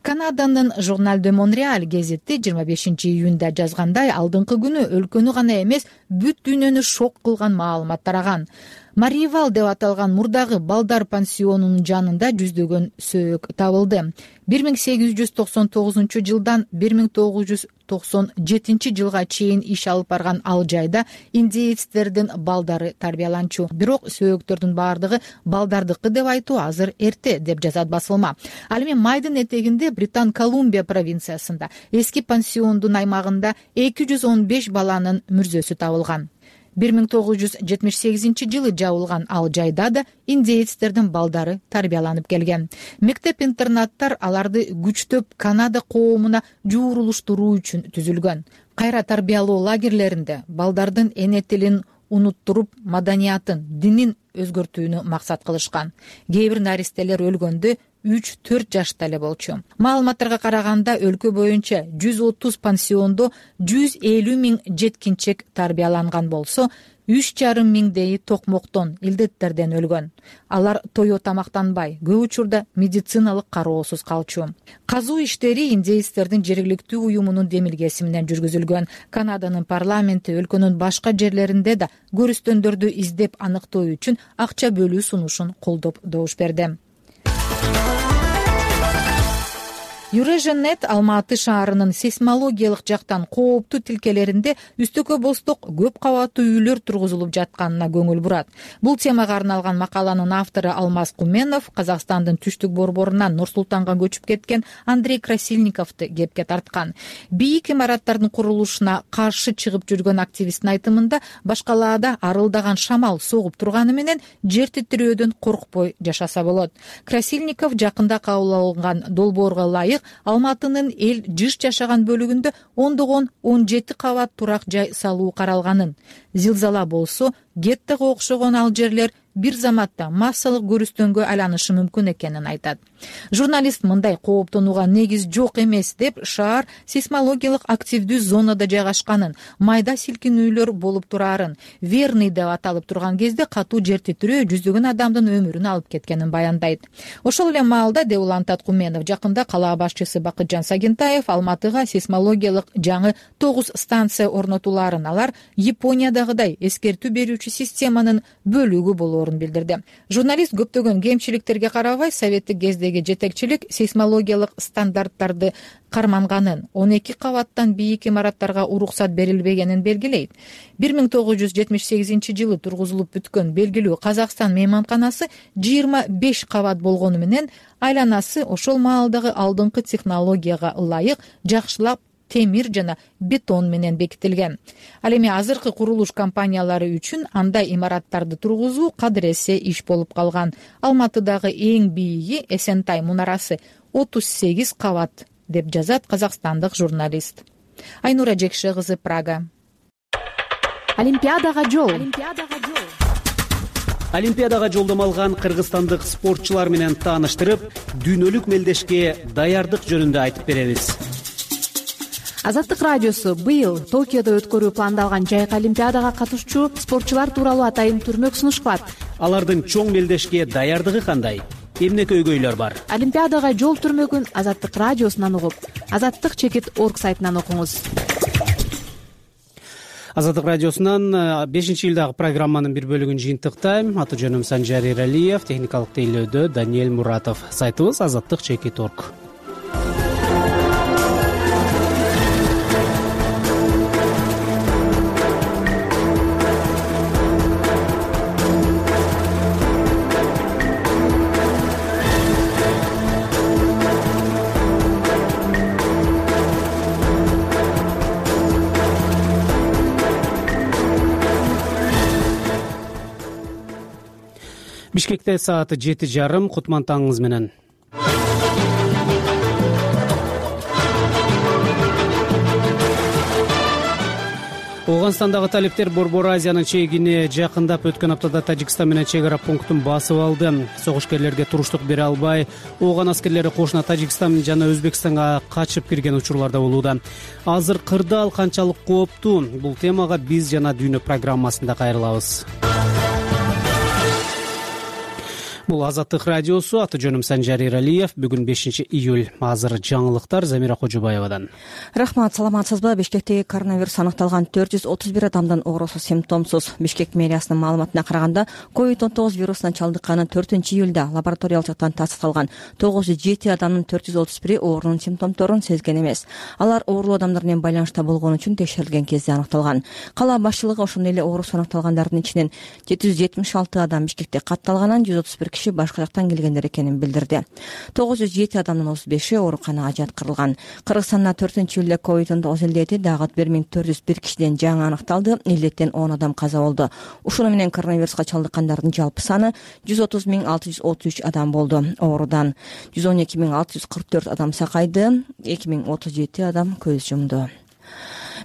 Канаданын Журнал де Монреаль гезити 25-июнда жазгандай, алдыңкы күнү өлкөнү гана эмес, бүт дүйнөнү шок кылган маалымат тараган. Маривал деп аталган мурдагы балдар пансионунун жанында жүздөгөн сөөк табылды. 1899 жылдан 1997 жылга чейин иш алып барган ал жайда индеецтердин балдары тарбияланчу. Бирок сөөктөрдүн баардыгы балдардыкы деп айтуу азыр эрте, деп жазат басылма. Ал эми майдын этегинде Британ Колумбия провинциясында эски пансиондун аймагында 215 баланын мүрзөсү табылган. 1978 жылы жабылган ал жайда да индеецтердин балдары тарбияланып келген. Мектеп-интернаттар аларды күчтөп Канада коомуна жуурулуштуруу үчүн түзүлгөн. Кайра тарбиялоо лагерлеринде балдардын эне тилин унуттуруп, маданиятын, динин өзгөртүүнү максат кылышкан. Кээ бир наристелер өлгөндө 3-4 жашта эле болчу. Маалыматтарга караганда өлкө боюнча 130 пансиондо 150 000 жеткинчек тарбияланган болсо, 3,5 миңдейи токмоктон, илдеттерден өлгөн. Алар тое тамактанбай, көп учурда медициналык кароосуз калчу. Казуу иштери индеецтердин жергиликтүү уюмунун демилгеси менен жүргүзүлгөн. Канаданын парламенти өлкөнүн башка жерлеринде да көрүстөндөрдү издеп аныктоо үчүн акча бөлүү сунушун колдоп добуш берди. Юреженет Алматы шаарынын сейсмологиялык жактан кооптуу тилкелеринде үстөкө босток көп кабаттуу үйлөр тургузулуп жатканына көңүл бурат. Бул темага арналган макаланын автору Алмаз Куменов Казакстандын түштүк борборунан Нур-Султанга көчүп кеткен Андрей Красильниковду кепке тарткан. Бийик имараттардын курулушуна каршы чыгып жүргөн активисттин айтымында башкалаада арылдаган шамал согуп турганы менен жер титирөөдөн коркпой жашаса болот. Красильников жакында кабыл алынган долбоорго ылайык Алматынын эл жыш жашаган бөлүгүндө ондогон 17 кабат турак жай салуу каралганын. Зилзала болсо, геттого окшогон ал жерлер бир заматта массалык көрүстөнгө айланышы мүмкүн экенин айтат. Журналист мындай кооптонууга негиз жок эмес деп, шаар сейсмологиялык активдүү зонада жайгашканын, майда силкинүүлөр болуп турарын, верный деп аталып турган кезде катуу жер титирөө жүздөгөн адамдын өмүрүн алып кеткенин баяндайт. Ошол эле маалда, деп улантат Куменов, жакында кала башчысы Бакытжан Сагентаев Алматыга сейсмологиялык жаңы 9 станция орнотуларын, алар Япониядагыдай эскертүү берүүчү системанын бөлүгү болоорун билдирди. Журналист көптөгөн кемчиликтерге карабай, советтик кездеги жетекчилик сейсмологиялык стандарттарды карманганын, 12 кабаттан бийик имараттарга уруксат берилбегенин белгилейт. 1978 жылы тургузулуп бүткөн белгилүү Казакстан мейманканасы 25 кабат болгону менен айланасы ошол маалдагы алдыңкы технологияга ылайык жакшылап темир жана бетон менен бекитилген. Ал эми азыркы курулуш компаниялары үчүн андай имараттарды тургузуу кадыресе иш болуп калган. Алматыдагы эң бийиги Эсентай мунарасы 38 кабат, деп жазат казакстандык журналист. Айнура Жекше кызы, Прага. Олимпиадага жол. Олимпиадага жолдомо алган кыргызстандык спортчулар менен тааныштырып, дүйнөлүк мелдешке даярдык жөнүндө айтып беребиз. Азаттык радиосу быйыл Токиодо өткөрүү пландалган жайкы олимпиадага катышчу спортчулар тууралуу атайын түрмөк сунуш кылат. Алардын чоң мелдешке даярдыгы кандай? Эмне көйгөйлөр бар? Олимпиадага жол түрмөгүн Азаттык радиосунан угуп, azаттык.org сайтынан окуңуз. Азаттык радиосунан 5-июлдагы программанын бир бөлүгүн жыйынтыктайм. Аты жөнүм Санжар Эралиев, техникалык тейлөөдө Даниэль Муратов. Сайтыбыз azаттык.org. Бишкекте сааты 7:30. Кутман таңыңыз менен. Ооганстандагы талиптер Борбор Азиянын чегине жакындап өткөн аптада Тажикстан менен чек ара пунктун басып алды. Согушкерлерге туруштук бере албай, ооган аскерлери кошуна Тажикстан жана Өзбекстанга качып кирген учурларда болууда. Азыр кырдаал канчалык кооптуу? Бул темага биз жана дүйнө программасында кайрылабыз. Бул Азаттык радиосу. Аты жөнүм Санжар Эралиев. Бүгүн 5-июль. Азыр жаңылыктар Замира Кожобаевадан. Рахмат, саламатсызбы? Бишкектеги коронавирус аныкталган 431 адамдын оорусу симптомсуз. Бишкек мэриясынын маалыматына караганда, COVID-19 вирусуна чалдыкканы 4-июлда лабораториялык жактан тастыкталган 907 адамдын 431 оорунун симптомдорун сезген эмес. Алар оорулуу адамдар менен байланышта болгон үчүн текшерилген кезде аныкталган. Кала башчылыгы ошондой эле оорусу аныкталгандардын ичинен 776 адам Бишкекте катталганын, 131 киши башка жактан келгендер экенин билдирди. 907 адамдын 35-и ооруканага жаткырылган. Кыргызстанда 4-июлда COVID-19 илдети дагы 1401 кишиден жаңы аныкталды. Илдеттен 10 адам каза болду. Ушуну менен коронавируска чалдыккандардын жалпы саны 130,633 адам болду. Оорудан 112,644 адам сакайды, 2037 адам көз жумду.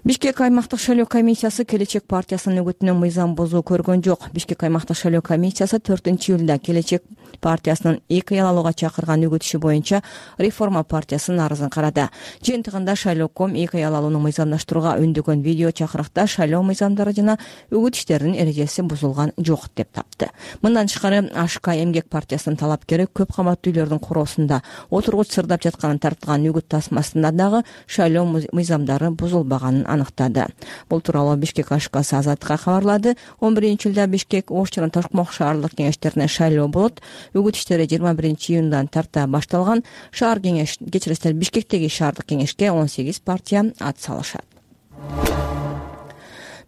Бишкек аймактык шайлоо комиссиясы Келечек партиясынын үгүтүнөн мыйзам бузуу көргөн жок. Бишкек аймактык шайлоо комиссиясы 4-июлда Келечек партиясынын 2 ай алууга чакырган үгүтүшү боюнча реформа партиясынын арызын карады. Жыйынтыгында шайлооком 2 ай алууну мыйзамдаштырууга үндөгөн видео чакырыкта шайлоо мыйзамдары жана үгүт иштеринин эрежеси бузулган жок деп тапты. Мындан тышкары АШК эмгек партиясынын талапкери көп кабаттуу үйлөрдүн куроосунда отургуч сырдап жатканын тартылган үгүт тасмасында дагы шайлоо мыйзамдары бузулбаганын аныктады. Бул тууралуу Бишкек АШКсы Азаттыкка кабарлады. 11-июлда Бишкек, Ош жана Тошмок шаардык кеңештерине шайлоо болот. Үгүт иштери 21-июндан тарта башталган. Шаар кеңеш кечиресиздер, Бишкектеги шаардык кеңешке 18 партия ат салышат.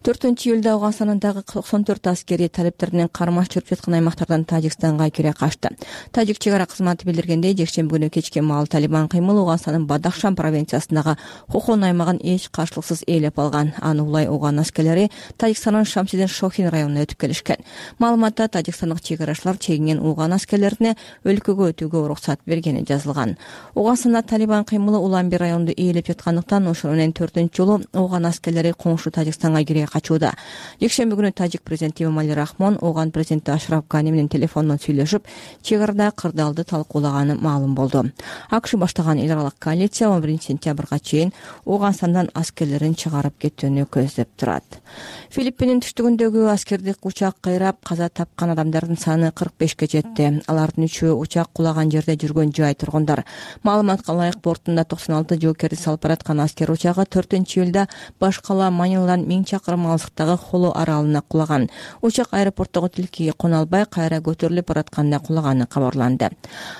4-июлда Ооганстандагы 94 аскери талиптеринен кармаш жүрүп жаткан аймактардан Тажикстанга кире качты. Тажик чек ара кызматы билдиргендей, жекшемби күнү кечке маал Талибан кыймылы Ооганстандын Бадахшан провинциясындагы Хохон аймагын эч каршылыксыз ээлеп алган. Аны улай ооган аскерлери Тажикстандын Шамсидин Шохин районуна өтүп келишкен. Маалыматта тажикстандык чек арачылар чегинген ооган аскерлерине өлкөгө өтүүгө уруксат бергени жазылган. Ооганстанда Талибан кыймылы Уламби районунда ээлеп жаткандыктан ошону менен 4-жолу ооган аскерлери коңшу Тажикстанга кире качууда. Жекшемби күнү Тажик президенти Эмомали Рахмон ооган президенти Ашраф Гани менен телефондон сүйлөшүп, чек арада кырдаалды талкуулаганы маалым болду. АКШ баштаган эл аралык коалиция 11-сентябрга чейин Ооганстандан аскерлерин чыгарып кетүүнү көздөп турат. Филиппиндин түштүгүндөгү аскердик учак кыйрап каза тапкан адамдардын саны 45ке жетти. Алардын 3-өө учак кулаган жерде жүргөн жай тургундар. Маалыматка ылайык бортунда 96 жоокерди салып бараткан аскер учагы 4-июлда баш кала Маниладан 1000 чакырым алыстыктагы Холо аралына кулаган. Учак аэропорттогу тилкеге кона албай кайра көтөрүлүп баратканда кулаганы кабарланды.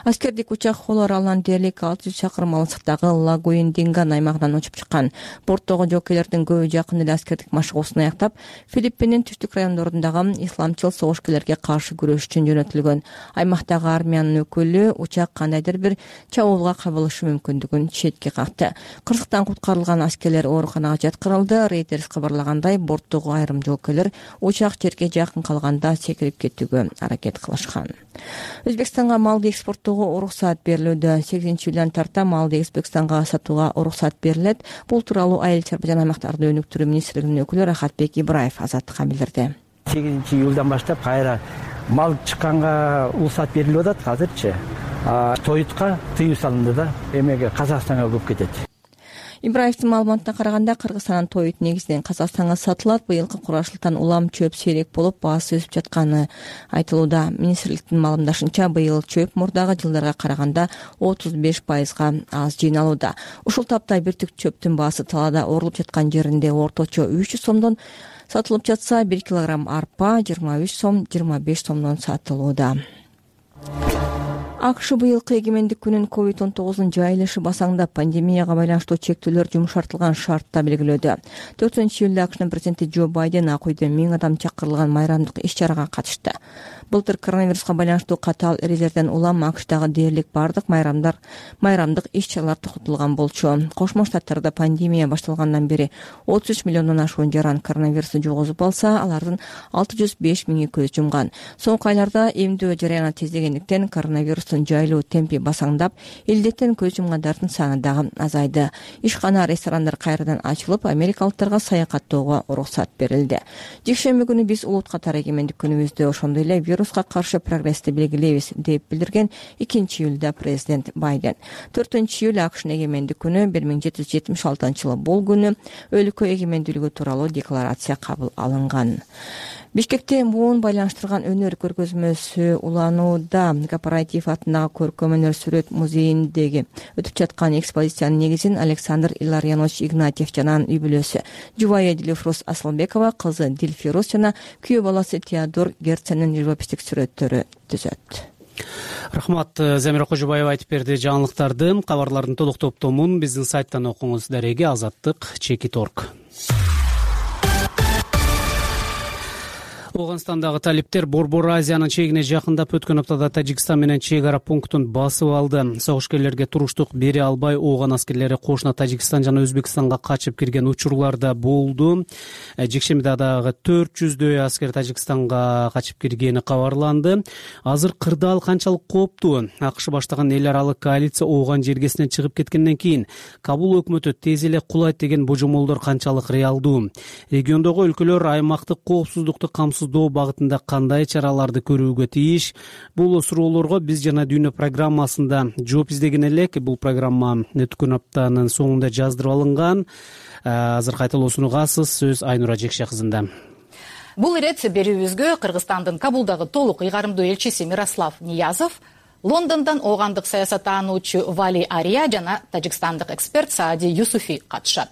Аскердик учак Холо аралынан дээрлик 600 чакырым алыстыктагы Лагуин-Динган аймагынан учуп чыккан. Борттогу жоокерлердин көбү жакын эле аскердик машыгуусун аяктап, Филиппиндин түштүк райондорундагы исламчыл согушкерлерге каршы күрөш үчүн жөнөтүлгөн. Аймактагы армиянын өкүлү учак кандайдыр бир чабуулга кабылышы мүмкүндүгүн четке какты. Кырсыктан куткарылган аскерлер ооруканага жаткырылды. Reuters кабарлагандай, борттогу айрым жоокерлер учак жерге жакын калганда секирип кетүүгө аракет кылышкан. Өзбекстанга малды экспорттоого уруксат берилүүдө. 8-июлдан тарта малды Өзбекстанга сатууга уруксат берилет. Бул тууралуу Айыл чарба жана аймактарды өнүктүрүү министрлигинин өкүлү Рахатбек Ибраев Азаттыкка билдирди. 8-июлдан баштап кайра мал чыкканга уруксат берилип атат азырчы. Тоютка тыюу салынды да, эмеге Казакстанга көп кетет. Ибраевдин маалыматына караганда, Кыргызстандын тоют негизинен Казакстанга сатылат. Быйылкы курашылтан улам чөп сейрек болуп, баасы өсүп жатканы айтылууда. Министрликтин маалымдашынча, быйыл чөп мурдагы жылдарга караганда 35%га аз жыйналууда. Ушул тапта бир түк чөптүн баасы талаада орулуп жаткан жеринде орточо 300 сомдон сатылып жатса, 1 килограмм арпа 23 сом 25 сомдон сатылууда. АКШ быйылкы эгемендик күнүн COVID-19 жайылышы басаңда пандемияга байланыштуу чектөөлөр жумшартылган шартта белгилөөдө. 4-июлда АКШнын президенти Джо Байден ак үйдө 1000 адам чакырылган майрамдык иш-чарага катышты. Былтыр коронавируска байланыштуу катаал эрежелерден улам АКШдагы дээрлик бардык майрамдык иш-чаралар токотулган болчу. Кошмо Штаттарда пандемия башталгандан бери 33 миллиондон ашуун жаран коронавирусту жугузуп алса, алардын 605 миңи көз жумган. Соңку айларда эмдөө жараяны тездегендиктен коронавирустун жайылуу темпи басаңдап, илдеттен көз жумгандардын саны дагы азайды. Ишкана, ресторандар кайрадан ачылып, америкалыктарга саякаттоого уруксат берилди. Жекшемби күнү биз улут катары эгемендик күнүбүздө ошондой эле вируска каршы прогрессти белгилейбиз деп билдирген 2-июлда президент Байден. 4-июль АКШнын эгемендик күнү 1776-жылы бул күнү өлкө эгемендүүлүгү тууралуу декларация кабыл алынган. Бишкекте муун байланыштырган өнөр көргөзмөсү уланууда. Кооператив атындагы көркөм өнөр сүрөт музейиндеги өтүп жаткан экспозициянын негизин Александр Илларьянович Игнатьев жана анын үй бүлөсү Жубайя Дилифрус Асылбекова, кызы Дилфирус жана күйөө баласы Теодор Герценин живопистик сүрөттөрү түзөт. Рахмат, Замира Кожобаева айтып берди жаңылыктарды. Кабарлардын толук топтомун биздин сайттан окуңуз. Дареги Азаттык.org. Оганстандагы талиптер Борбор Азиянын чегине жакындап өткөн аптада Тажикстан менен чек ара пунктун басып алды. Согушкерлерге туруштук бере албай ооган аскерлери кошуна Тажикстан жана Өзбекстанга качып кирген учурларда болду. Жекшембиде дагы 400дөй аскер Тажикстанга качып киргени кабарланды. Азыр кырдаал канчалык кооптуу? АКШ баштаган эл аралык коалиция ооган жергесинен чыгып кеткенден кийин Кабул өкмөтү тез эле кулайт деген божомолдор канчалык реалдуу? Региондогу өлкөлөр аймактык коопсуздукту камсыздоо багытында кандай чараларды көрүүгө тийиш? Бул суроолорго биз жана Дүйнө программасында жооп издеген элек. Бул программа өткөн аптанын соңунда жаздырып алынган. Азыр кайталоосун угасыз. Сөз Айнура Жекше кызында. Бул ирет берүүбүзгө Кыргызстандын Кабулдагы толук ыйгарымдуу элчиси Мирослав Ниязов, Лондондон оогандык саясаттануучу Вали Ария жана тажикстандык эксперт Саади Юсуфи катышат.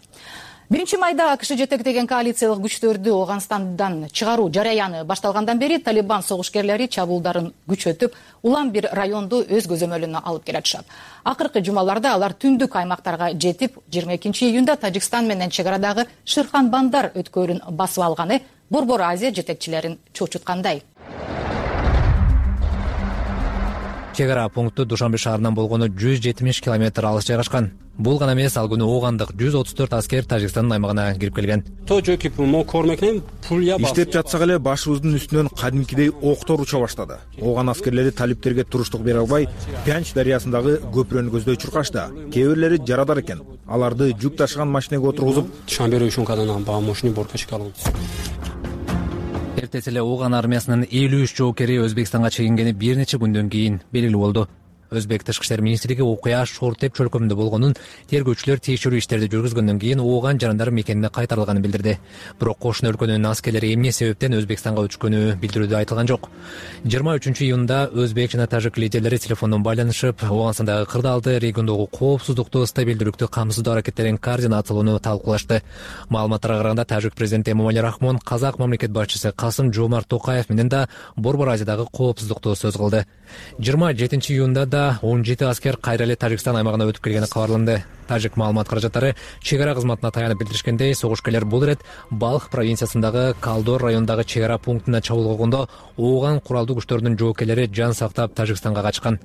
1-майда АКШ жетектеген коалициялык күчтөрдү Оганстандан чыгаруу жараяны башталгандан бери Талибан согушкерлери чабуулдарын күчөтүп, улам бир районду өз көзөмөлүнө алып келатышат. Акыркы жумаларда алар түндүк аймактарга жетип, 22-июнда Тажикстан менен чек арадагы Ширхан Бандар өткөрүн басып алганы Борбор Азия жетекчилерин чочуткандай. Чек ара пункту Душанбе шаарынан болгону 170 километр алыс жайгашкан. Бул гана эмес, ал күнү оогандык 134 аскер Тажикстандын аймагына кирип келген. Иштеп жатсак эле башыбыздын үстүнөн кадимкидей октор уча баштады. Ооган аскерлери талиптерге туруштук бере албай, Пянч дарыясындагы көпүрөнү көздөй чуркашты. Кээ бирлери жарадар экен. Аларды жүк ташыган машинеге отургузуп, эртеси эле ооган армиясынын 53 жоокери Өзбекстанга чегингени бир нече күндөн кийин белгилүү болду. Өзбек Тышкы иштер министрлиги окуя Шортеп чөлкөмүндө болгонун, тергөөчүлөр текшерүү иштерди жүргүзгөндөн кийин ооган жарандар мекенине кайтарылганын билдирди. Бирок кошуна өлкөнүн аскерлери эмне себептен Өзбекстанга өчкөнү билдирүүдө айтылган жок. 23-июнда өзбек жана тажик лидерлери телефондон байланышып, Оганстандагы кырдаалды, региондогу коопсуздукту, стабилдүүлүктү камсыздоо аракеттерин координациялоону талкуулашты. Маалыматтарга караганда, тажик президенти Эмомали Рахмон казак мамлекет башчысы Касым-Жомарт Токаев менен да Борбор Азиядагы коопсуздукту сөз кылды. 27-июнда 17 аскер кайра эле Тажикстан аймагына өтүп келгени кабарланды. Тажик маалымат каражаттары чек ара кызматына таянып билдиришкендей, согушкерлер бул ирет Балх провинциясындагы Калдор районундагы чек ара пунктуна чабуул койгондо ооган куралдуу күчтөрдүн жоокерлери жан сактап Тажикстанга качкан.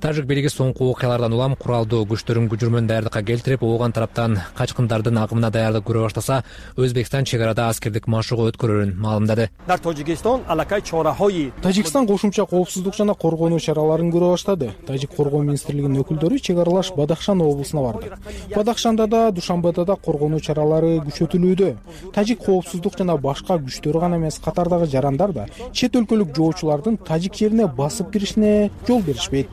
Тажик бийлиги соңку окуялардан улам куралдуу күчтөрүн күжүрмөн даярдыкка келтирип, ооган тараптан качкындардын агымына даярдык көрө баштаса, Өзбекстан чек арада аскердик машыгуу өткөрөрүн маалымдады. Тажикстан кошумча коопсуздук жана коргонуу чараларын көрө баштады. Тажик коргоо министрлигинин өкүлдөрү чек аралаш Бадахшан облусуна барды. Бадахшанда да, Душанбеде да коргонуу чаралары күчөтүлүүдө. Тажик коопсуздук жана башка күчтөрү гана эмес, катардагы жарандар да чет өлкөлүк жоочулардын тажик жерине басып киришине жол беришпейт.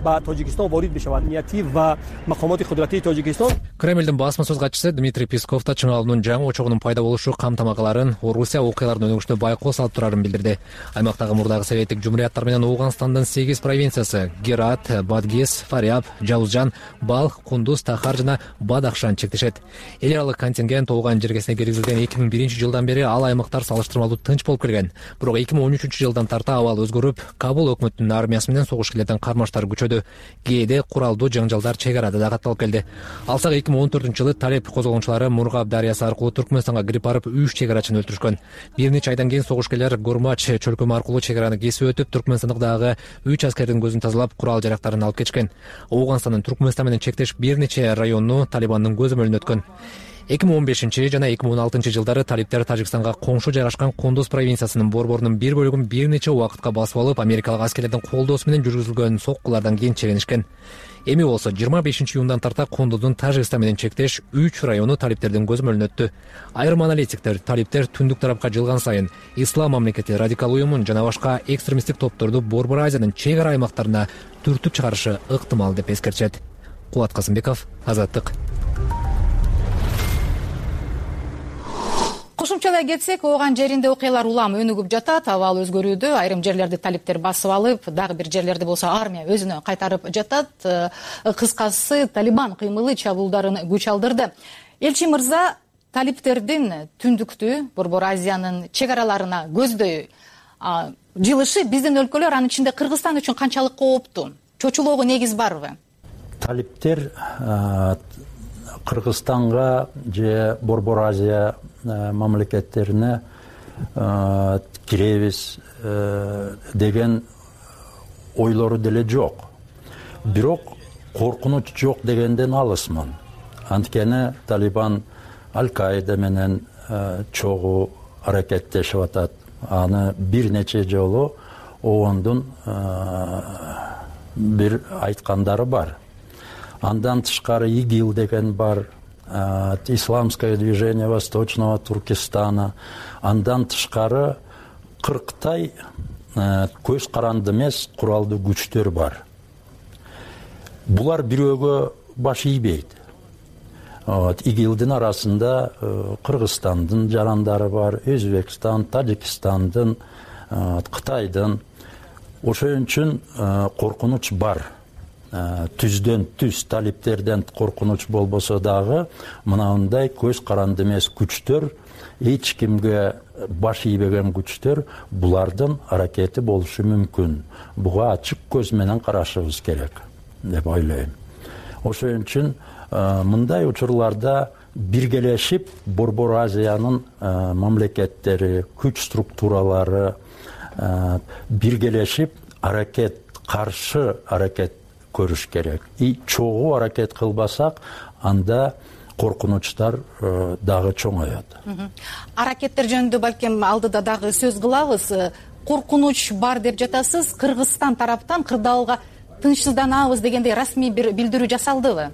ба Тоҷикистон ворид бишавад. Нияти ва мақомоти қудратии Тоҷикистон. Кремлдин басма сөз катчысы Дмитрий Песков да чың алуунун жаңы очогунун пайда болушу камтамакаларын Орусия окуялардын өнүгүшүнө байкоо салып турарын билдирди. Аймактагы мурдагы советтик жумурияттар менен Ооганстандын 8 провинциясы Герат, Бадгес, Фаряб, Жаузжан, Балх, Кундуз, Тахар жана Бадахшан чектешет. Эл аралык контингент ооган жергесине киргизилген 2001-жылдан бери ал аймактар салыштырмалуу тынч болуп келген. Бирок 2013-жылдан тарта абал өзгөрүп, Кабул өкмөтүнүн армиясы менен согуш-келерден кармаштар күчөдү. Кээде куралдуу жаңжалдар чек арада да катталып келди. Алсак 2014-жылы талеп козголгончулары Мургаб дарыясы аркылуу Түркмөнстанга кирип барып 3 чек арачыны өлтүрүшкөн. Бир нече айдан кийин согуш-келер Гурмач чөлкөмү аркылуу чек араны кесип өтүп, Түркмөнстандагы 3 аскердин көзүн тазалап, курал жарактарын алып кетишкен. Ооганстандын Түркмөнстан менен чектеш бир нече районну Талибандын көзөмөлүнө өткөн. 2015 жана 2016-жылдары талиптер Тажикстанга коңшу жайгашкан Кундуз провинциясынын борборунун бир бөлүгүн бир нече убакытка басып алып, америкалык аскерлердин колдоосу менен жүргүзүлгөн соккулардан кийин чегинишкен. Эми болсо 25-июндан тарта Кундуздун Тажикстан менен чектеш 3 району талиптердин көзөмөлүнө өттү. Айрым аналитиктер талиптер түндүк тарапка жылган сайын Ислам мамлекети радикал уюмун жана башка экстремисттик топторду Борбор Азиянын чек ара аймактарына түртүп чыгарышы ыктымал деп эскертишет. Кулат Касымбеков, Азаттык. Кошумчалай кетсек, ооган жеринде окуялар улам өнүгүп жатат, абал өзгөрүүдө. Айрым жерлерди талиптер басып алып, дагы бир жерлерди болсо армия өзүнө кайтарып жатат. Кыскасы, Талибан кыймылы чабуулдарын күч алдырды. Элчи мырза, талиптердин түндүктүү Борбор Азиянын чек араларына көздөй жылышы биздин өлкөлөр, анын ичинде Кыргызстан үчүн канчалык кооптуу? Чочулоого негиз барбы? Талиптер Кыргызстанга же Борбор Азия мамлекеттерине киребиз деген ойлору деле жок. Бирок коркунуч жок дегенден алысмын. Анткени Талибан Аль-Каида менен чогуу аракеттешип атат. Аны бир нече жолу оондун бир айткандары бар. Андан тышкары ИГИЛ деген бар, Исламское движение Восточного Туркестана. Андан тышкары 40-тай көз каранды эмес куралдуу күчтөр бар. Булар бирөөгө баш ийбейт. ИГИЛдин арасында Кыргызстандын жарандары бар, Өзбекстан, Тажикстандын, Кытайдын. Ошон үчүн коркунуч бар. Түздөн түз талиптерден коркунуч болбосо дагы мынандай көз каранды эмес күчтөр, эч кимге баш ийбеген күчтөр, булардын аракети болушу мүмкүн. Буга ачык көз менен карашыбыз керек деп ойлойм. Ошон үчүн мындай учурларда биргелешип Борбор Азиянын мамлекеттери, күч структуралары биргелешип каршы аракет көрүш керек. И чогуу аракет кылбасак, анда коркунучтар дагы чоңоёт. Аракеттер жөнүндө балким алдыда дагы сөз кылабыз. Коркунуч бар деп жатасыз. Кыргызстан тараптан кырдаалга тынчсызданабыз дегендей расмий бир билдирүү жасалдыбы?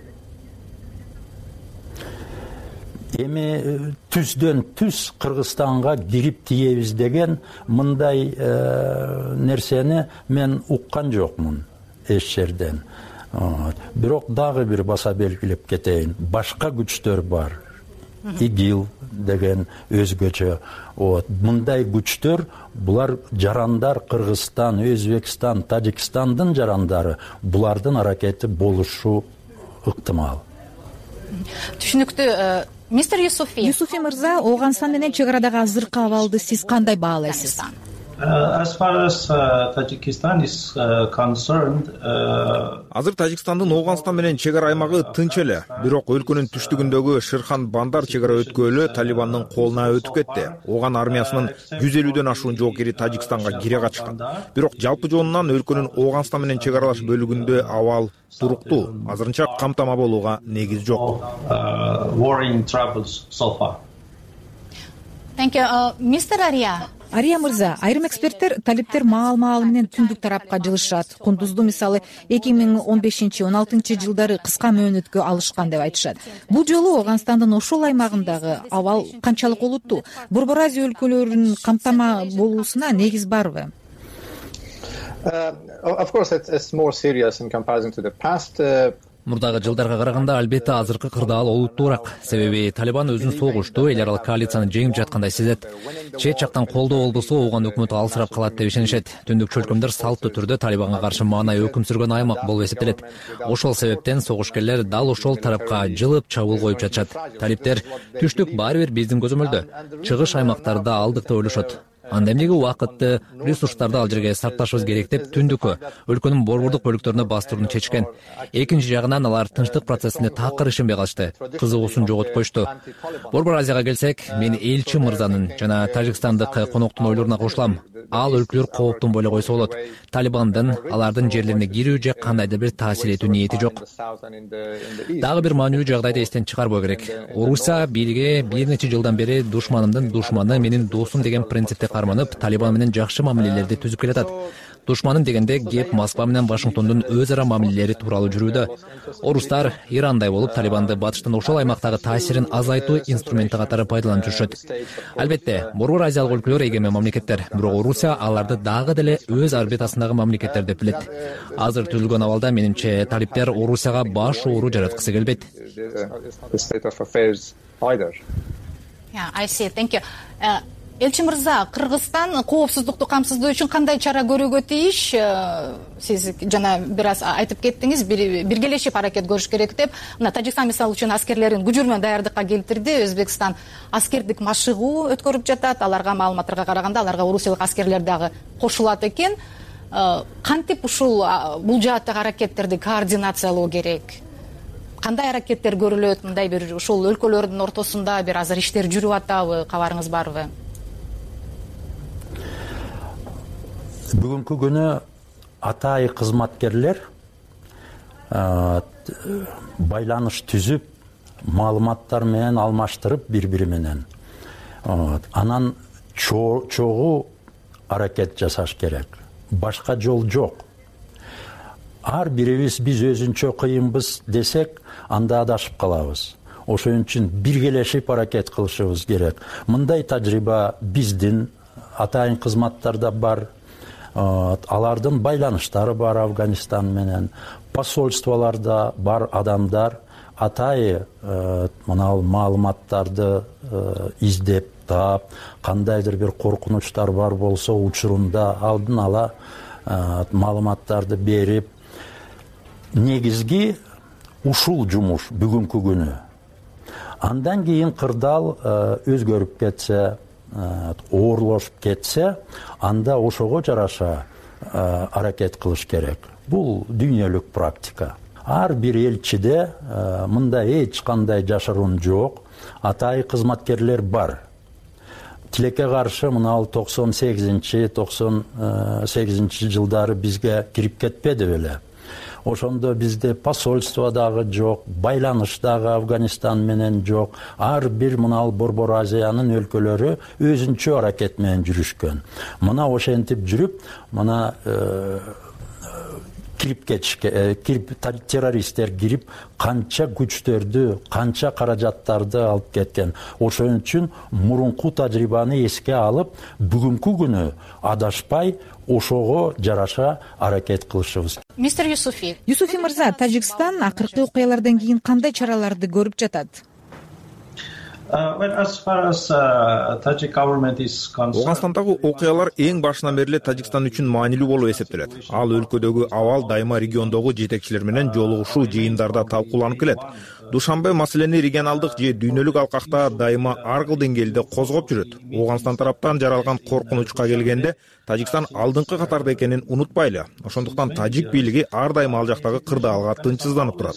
Эми түздөн түз Кыргызстанга кирип тиебиз деген мындай нерсени мен уккан жокмун эч жерден. Бирок дагы бир баса белгилеп кетейин. Башка күчтөр бар. ИГИЛ деген өзгөчө. Мындай күчтөр, булар жарандар Кыргызстан, Өзбекстан, Тажикстандын жарандары. Булардын аракети болушу ыктымал. Түшүнүктүү. Мистер Юсуфи мырза, Ооганстан менен чек арадагы азыркы абалды сиз кандай баалайсыз? As far as Tajikistan is concerned, азыр Тажикстандын Ооганстан менен чек ара аймагы тынч эле. Бирок өлкөнүн түштүгүндөгү Ширхан Бандар чек ара өткөлү Талибандын колуна өтүп кетти. Ооган армиясынын 150дөн ашуун жоокери Тажикстанга кире качкан. Бирок жалпы жонунан өлкөнүн Ооганстан менен чек аралаш бөлүгүндө абал туруктуу. Азырынча камтама болууга негиз жок. Warring troubles so far. Thank you. Mr. Ария мырза, айрым эксперттер талиптер маал менен түндүк тарапка жылышат. Кундузду мисалы 2015-16 жылдары кыска мөөнөткө алышкан деп айтышат. Бул жолу Ооганстандын ошол аймагындагы абал канчалык олуттуу? Борбор Азия өлкөлөрүнүн камтама болуусуна негиз барбы? Of course, it's more serious in comparison to the past. Мурдагы жылдарга караганда албетте азыркы кырдаал олуттуураак. Себеби Талибан өзүн согушту эл аралык коалицияны жеңип жаткандай сезет. Чет жактан колдоо болбосо ооган өкмөтү алсырап калат деп ишенишет. Түндүк чөлкөмдөр салттуу түрдө Талибанга каршы маанай өкүм сүргөн аймак болуп эсептелет. Ошол себептен согушкерлер дал ошол тарапка жылып чабуул коюп жатышат. Талиптер түштүк баары бир биздин көзөмөлдө, чыгыш аймактарда алдык деп ойлошот. Анда эмнеге убакытты, ресурстарды ал жерге сарпташыбыз керек деп түндүккө, өлкөнүн борбордук бөлүктөрүнө бастырууну чечкен. Экинчи жагынан алар тынчтык процессине такыр ишенбей калышты, кызыгуусун жоготуп коюшту. Борбор Азияга келсек, мен элчи мырзанын жана тажикстандык коноктун ойлоруна кошулам. Ал өлкөлөр кооптонбой эле койсо болот. Талибандын алардын жерлерине кирүү же кандайдыр бир таасир этүү ниети жок. Дагы бир маанилүү жагдайды эстен чыгарбоо керек. Орусия бирге бир нече жылдан бери душманымдын душманы менин досум деген принципти карманып, Талибан менен жакшы мамилелерди түзүп келатат. Душманым дегенде кеп Москва менен Вашингтондун өз ара мамилелери тууралуу жүрүүдө. Орустар Ирандай болуп Талибанды батыштын ошол аймактагы таасирин азайтуу инструменти катары пайдаланып жүрүшөт. Албетте, Борбор Азиялык өлкөлөр эгемен мамлекеттер, бирок Орусия аларды дагы деле өз орбитасындагы мамлекеттер деп билет. Азыр түзүлгөн абалда менимче талиптер Орусияга баш оору жараткысы келбейт. I see. Thank you. Элчи мырза, Кыргызстан коопсуздукту камсыздоо үчүн кандай чара көрүүгө тийиш? Сиз жана бир аз айтып кеттиңиз, биргелешип аракет көрүш керек деп. Мына Тажикстан мисалы үчүн аскерлерин күжүрмө даярдыкка келтирди. Өзбекстан аскердик машыгуу өткөрүп жатат. Аларга маалыматтарга караганда аларга орусиялык аскерлер дагы кошулат экен. Кантип ушул бул жааттагы аракеттерди координациялоо керек? Кандай аракеттер көрүлөт? Мындай бир ушул өлкөлөрдүн ортосунда бир азыр иштер жүрүп атабы? Кабарыңыз барбы? Бүгүнкү күнү атайы кызматкерлер байланыш түзүп, маалыматтар менен алмаштырып бири-бири менен. Анан чогуу аракет жасаш керек. Башка жол жок. Ар бирибиз биз өзүнчө кыйынбыз десек, анда адашып калабыз. Ошон үчүн биргелешип аракет кылышыбыз керек. Мындай тажрыйба биздин атайын кызматтарда бар. Алардын байланыштары бар Афганистан менен, посольстволарда бар адамдар атайы мына маалыматтарды издеп таап, кандайдыр бир коркунучтар бар болсо учурунда алдын ала маалыматтарды берип, негизги ушул жумуш бүгүнкү күнү. Андан кийин кырдаал өзгөрүп кетсе, оорлошуп кетсе, анда ошого жараша аракет кылыш керек. Бул дүйнөлүк практика. Ар бир элчиде мындай эч кандай жашыруун жок. Атайы кызматкерлер бар. Тилекке каршы мына 98-98 жылдары бизге кирип кетпеди беле. Ошондо бизде посольство дагы жок, байланыш дагы Афганистан менен жок. Ар бир мына Борбор Азиянын өлкөлөрү өзүнчө аракет менен жүрүшкөн. Мына ошентип жүрүп, мына террористтер кирип, канча күчтөрдү, канча каражаттарды алып кеткен. Ошон үчүн мурунку тажрыйбаны эске алып, бүгүнкү күнү адашпай, ошого жараша аракет кылышыбыз. Мистер Юсуфи мырза, Тажикстан акыркы окуялардан кийин кандай чараларды көрүп жатат? Ооганстандагы окуялар эң башынан бери эле Тажикстан үчүн маанилүү болуп эсептелет. Ал өлкөдөгү абал дайыма региондогу жетекчилер менен жолугушуу жыйындарда талкууланып келет. Душанбе маселени регионалдык же дүйнөлүк алкакта дайыма ар кыл деңгээлде козгоп жүрөт. Ооганстан тараптан жаралган коркунучка келгенде, Тажикстан алдыңкы катарда экенин унутпайлы. Ошондуктан тажик бийлиги ар дайым ал жактагы кырдаалга тынчсызданып турат.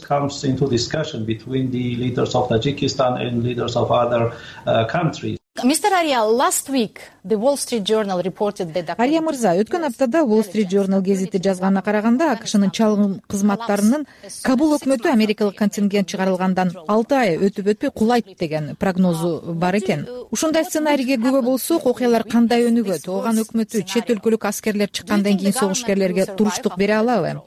Mr. Arya, last week the Wall Street Journal reported that Ария мырза, өткөн аптада Wall Street Journal гезити жазганына караганда, АКШнын чалгын кызматтарынын Кабул өкмөтү америкалык контингент чыгарылгандан 6 ай өтүп кулайт деген прогнозу бар экен. Ушундай сценарийге күбө болсок, окуялар кандай өнүгөт? Ооган өкмөтү чет өлкөлүк аскерлер чыккандан кийин согушкерлерге туруштук бере алабы?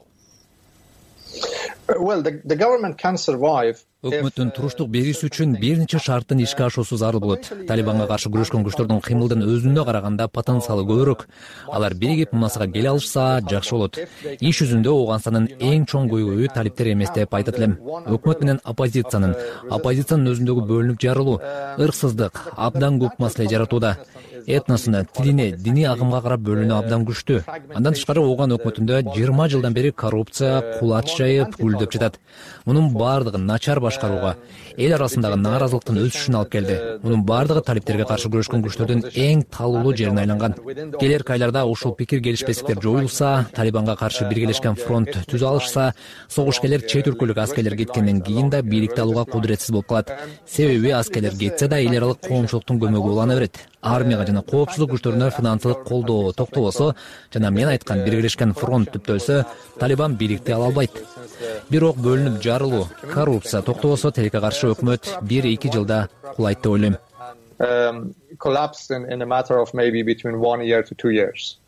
Well, the government can survive. Өкмөттүн туруштук берүүсү үчүн бир нече шарттын ишке ашуусу зарыл болот. Талибанга каршы күрөшкөн күчтөрдүн кыймылдын өзүнө караганда потенциалы көбүрөөк. Алар биригип мунасага келе алышса жакшы болот. Иш жүзүндө Ооганстандын эң чоң көйгөйү талиптер эмес деп айтат элем. Өкмөт менен оппозициянын өзүндөгү бөлүнүп жарылуу, ырксыздык абдан көп маселе жаратууда. Этносуна, тилине, диний агымга карап бөлүнүү абдан күчтүү. Андан тышкары Ооган өкмөтүндө 20 жылдан бери коррупция кулач жайып гүлдөп жатат. Мунун бардыгы начар башкарууга, эл арасындагы нааразылыктын өсүшүнө алып келди. Мунун бардыгы талиптерге каршы күрөшкөн күчтөрдүн эң талуулуу жерине айланган. Келерки айларда ушул пикир келишпестиктер жоюлса, Талибанга каршы биргелешкен фронт түзө алышса, согушкерлер чет өлкөлүк аскерлер кеткенден кийин да бийликти алууга кудуретсиз болуп калат. Себеби аскерлер кетсе да эл аралык коомчулуктун көмөгү улана берет. Армияга жана коопсуздук күчтөрүнө финансылык колдоо токтобосо жана мен айткан биргелешкен фронт түптөлсө, Талибан бийликти ала албайт. Бирок бөлүнүп жарылуу, коррупция токтобосо тилекке каршы өкмөт 1-2 жылда кулайт деп ойлойм. Collapse in a matter of maybe between 1 year to 2 years.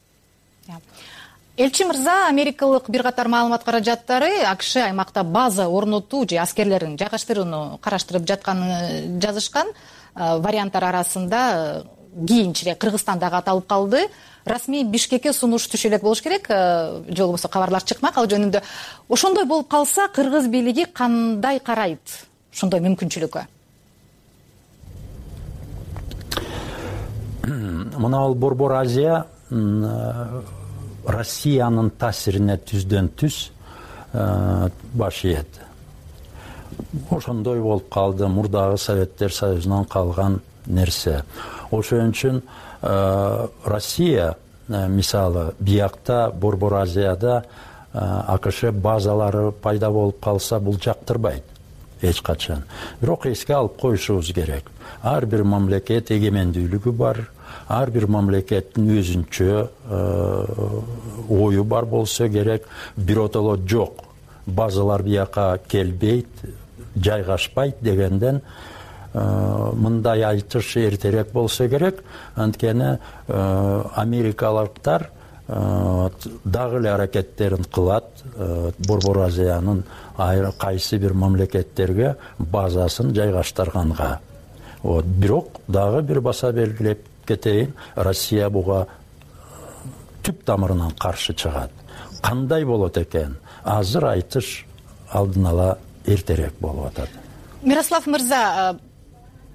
Элчи мырза, америкалык бир катар маалымат каражаттары АКШ аймакта база орнотуу же аскерлерин жайгаштырууну караштырып жатканын жазышкан. Варианттар арасында кийинчерээк Кыргызстан дагы аталып калды. Расмий Бишкекке сунуш түшө элек болуш керек, же болбосо кабарлар чыкмак ал жөнүндө. Ошондой болуп калса, кыргыз бийлиги кандай карайт ошондой мүмкүнчүлүккө? Мына ал Борбор Азия Россиянын таасирине түздөн түз баш ийет. Ошондой болуп калды, мурдагы Советтер Союзунан калган нерсе. Ошон үчүн Россия мисалы биякта Борбор Азияда АКШ базалары пайда болуп калса бул жактырбайт эч качан. Бирок эске алып коюшубуз керек. Ар бир мамлекет эгемендүүлүгү бар, ар бир мамлекеттин өзүнчө ою бар болсо керек. Биротоло жок, базалар бияка келбейт, жайгашпайт дегенден мындай айтыш эртерээк болсо керек. Анткени америкалыктар дагы эле аракеттерин кылат Борбор Азиянын кайсы бир мамлекеттерге базасын жайгаштырганга. Бирок дагы бир баса белгилеп кетейин, Россия буга түп тамырынан каршы чыгат. Кандай болот экен? Азыр айтыш алдын ала эртерээк болуп атат. Мирослав мырза,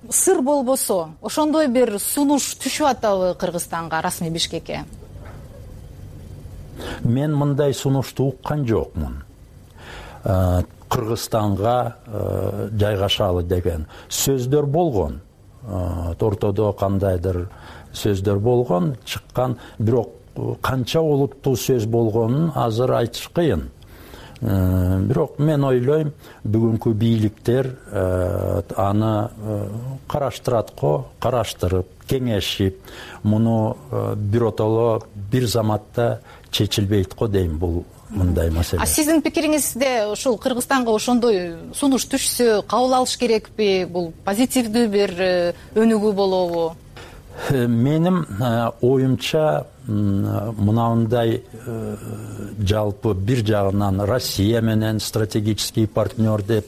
сыр болбосо, ошондой бир сунуш түшүп атабы Кыргызстанга, Расмий Бишкекке? Мен мындай сунушту уккан жокмун. Кыргызстанга жайгашалы деген сөздөр болгон. Ортодо кандайдыр сөздөр болгон, чыккан, бирок канча олуттуу сөз болгонун азыр айтыш кыйын. Бирок мен ойлойм, бүгүнкү бийликтер аны караштырат го, караштырып, кеңешип, муну биротоло бир заматта чечилбейт го дейм бул мындай маселе. Сиздин пикириңизде ушул Кыргызстанга ошондой сунуш түшсө кабыл алыш керекпи? Бул позитивдүү бир өнүгүү болобу? Менин оюмча мынандай жалпы бир жагынан Россия менен стратегический партнер деп,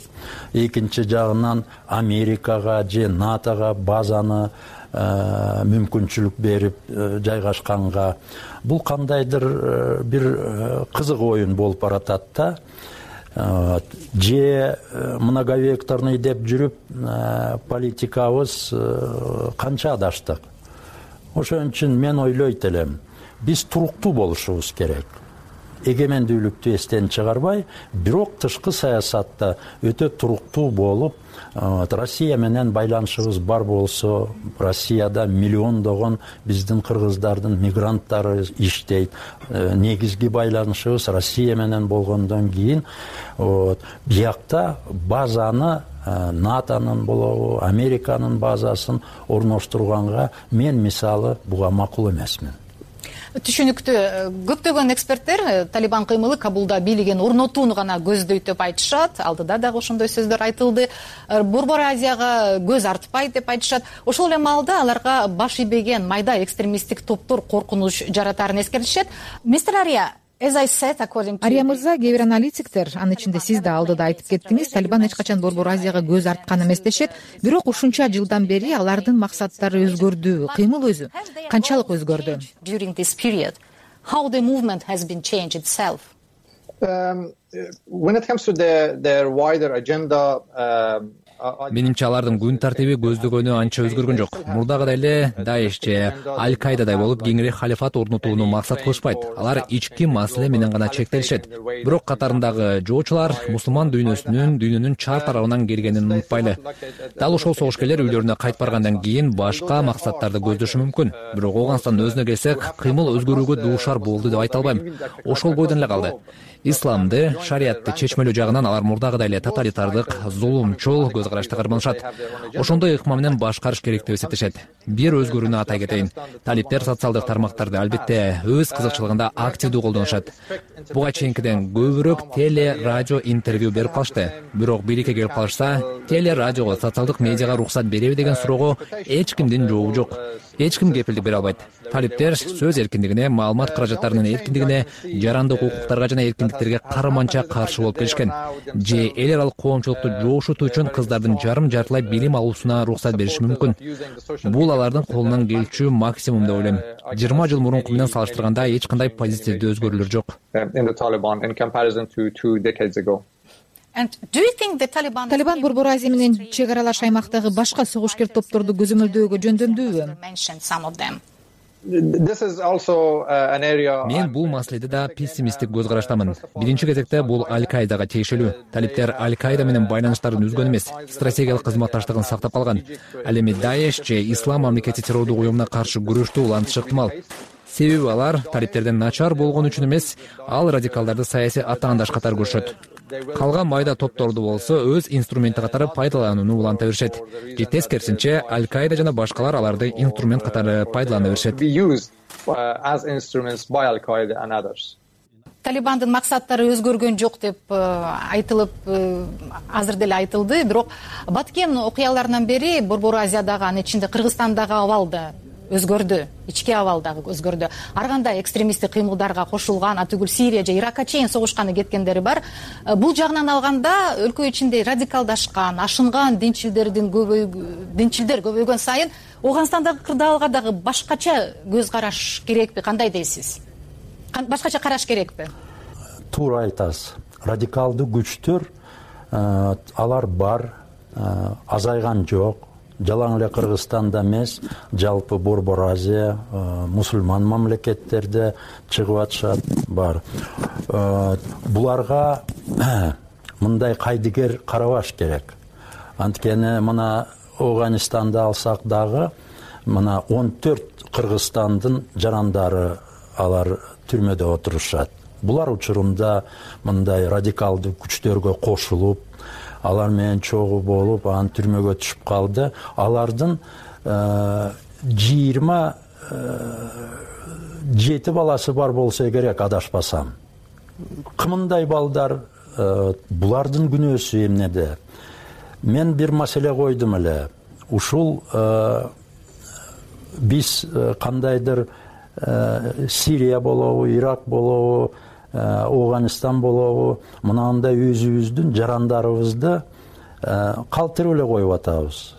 экинчи жагынан Америкага же НАТОга базаны мүмкүнчүлүк берип жайгашканга бул кандайдыр бир кызык оюн болуп баратат да. Же многовекторный деп жүрүп политикабыз канча адаштык. Ошон үчүн мен ойлойт элем, биз туруктуу болушубуз керек. Эгемендүүлүктү эстен чыгарбай, бирок тышкы саясатта өтө туруктуу болуп, Россия менен байланышыбыз бар болсо, Россияда миллиондогон биздин кыргыздардын мигранттары иштейт. Негизги байланышыбыз Россия менен болгондон кийин, биякта базаны НАТОнун болобу, Американын базасын орноштурганга мен мисалы буга макул эмесмин. Түшүнүктүү. Көптөгөн эксперттер Талибан кыймылы Кабулда бийлигин орнотууну гана көздөйт деп айтышат. Алдыда дагы ошондой сөздөр айтылды. Борбор Азияга көз артпайт деп айтышат. Ошол эле маалда аларга баш ийбеген майда экстремисттик топтор коркунуч жаратарын эскертишет. Мистер Ария, Ария мырза, кээ бир аналитиктер, анын ичинде сиз да алдыда айтып кеттиңиз, Талибан эч качан Борбор Азияга көз арткан эмес дешет. Бирок ушунча жылдан бери алардын максаттары өзгөрдү, кыймыл өзү канчалык өзгөрдү? How the movement has been changed itself? When it comes to their wider agenda, Менимче алардын күн тартиби көздөгөнү анча өзгөргөн жок. Мурдагыдай эле Даиш же Аль-Каидадай болуп кеңири халифат орнотууну максат кылышпайт. Алар ички маселе менен гана чектелишет. Бирок катарындагы жоочулар мусулман дүйнөнүн чар тарабынан келгенин унутпайлы. Дал ошол согушкерлер үйлөрүнө кайтып баргандан кийин башка максаттарды көздөшү мүмкүн. Бирок Ооганстандын өзүнө келсек, кыймыл өзгөрүүгө дуушар болду деп айта албайм. Ошол бойдон эле калды. Исламды, шариятты чечмелөө жагынан алар мурдагыдай эле тоталитардык, зулумчул көз карашты карманышат. Ошондой ыкма менен башкарыш керек деп эсептешет. Бир өзгөрүүнү атай кетейин. Талиптер социалдык тармактарды албетте өз кызыкчылыгында активдүү колдонушат. Буга чейинкиден көбүрөөк теле, радио интервью берип калышты. Бирок бийликке келип калышса, теле, радиого, социалдык медиага уруксат береби деген суроого эч кимдин жообу жок. Эч ким кепилдик бере албайт. Талиптер сөз эркиндигине, маалымат каражаттарынын эркиндигине, жарандык укуктарга жана эркиндиктерге карманча каршы болуп келишкен. Же эл аралык коомчулукту жоошутуу үчүн кыздардын жарым-жартылай билим алуусуна уруксат бериши мүмкүн. Бул алардын колунан келчү максимум деп ойлойм. 20 жыл мурунку менен салыштырганда эч кандай позитивдүү өзгөрүүлөр жок. Талибан Борбор Азия менен чек аралаш аймактагы башка согушкер топторду көзөмөлдөөгө жөндөмдүүбү? Мен бул маселеде да пессимисттик көз караштамын. Биринчи кезекте бул Аль-Каидага тиешелүү. Талиптер Аль-Каида менен байланыштарын үзгөн эмес, стратегиялык кызматташтыгын сактап калган. Ал эми Даиш же Ислам мамлекети террордук уюмуна каршы күрөштү улантышы ыктымал. Себеби алар талиптерден начар болгон үчүн эмес, ал радикалдарды саясий атаандаш катары көрүшөт. Калган майда топторду болсо өз инструменти катары пайдаланууну уланта беришет. Же тескерисинче Аль-Каида жана башкалар аларды инструмент катары пайдалана беришет. Талибандын максаттары өзгөргөн жок деп айтылып, азыр деле айтылды. Бирок Баткен окуяларынан бери Борбор Азиядагы, анын ичинде Кыргызстандагы абал да өзгөрдү, ички абал дагы өзгөрдү. Ар кандай экстремисттик кыймылдарга кошулган, атүгүл Сирия же Иракка чейин согушканы кеткендери бар. Бул жагынан алганда өлкө ичинде радикалдашкан, ашынган динчилдер көбөйгөн сайын Ооганстандагы кырдаалга дагы башкача көз караш керекпи? Кандай дейсиз? Башкача караш керекпи? Туура айтасыз. Радикалдуу күчтөр алар бар, азайган жок. Жалаң эле Кыргызстанда эмес, жалпы Борбор Азия, мусулман мамлекеттерде чыгып атышат бар. Буларга мындай кайдыгер карабаш керек. Анткени мына Ооганстанда алсак дагы мына 14 Кыргызстандын жарандары алар түрмөдө отурушат. Булар учурунда мындай радикалдуу күчтөргө кошулуп, алар менен чогуу болуп, анын түрмөгө түшүп калды. Алардын 27 баласы бар болсо керек, адашпасам. Кымындай балдар, булардын күнөөсү эмнеде? Мен бир маселе койдум эле. Ушул биз кандайдыр Сирия болобу, Ирак болобу, Ооганстан болобу, мынандай өзүбүздүн жарандарыбызды калтырып эле коюп атабыз.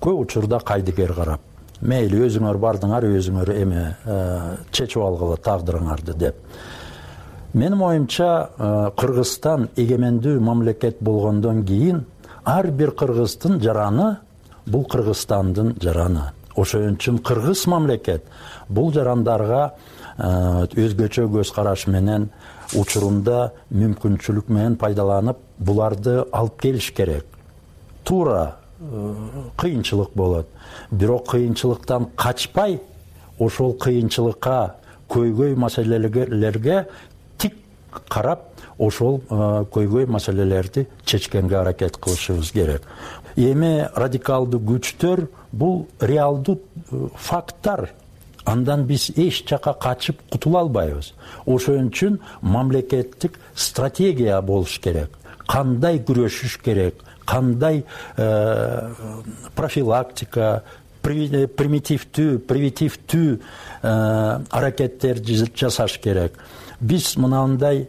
Көп учурда кайдыгер карап, мейли өзүңөр бардыңар, өзүңөр эме чечип алгыла тагдырыңарды деп. Менин оюмча, Кыргызстан эгемендүү мамлекет болгондон кийин ар бир кыргыздын жараны бул Кыргызстандын жараны. Ошон үчүн кыргыз мамлекет бул жарандарга өзгөчө көз караш менен, учурунда мүмкүнчүлүк менен пайдаланып, буларды алып келиш керек. Туура кыйынчылык болот. Бирок кыйынчылыктан качпай, ошол кыйынчылыкка, көйгөй маселелерге тик карап, ошол көйгөй маселелерди чечкенге аракет кылышыбыз керек. Эми радикалдуу күчтөр бул реалдуу факттар. Андан биз эч жака качып кутула албайбыз. Ошон үчүн мамлекеттик стратегия болуш керек. Кандай күрөшүш керек, кандай профилактика, превентивдүү аракеттер жасаш керек. биз мынандай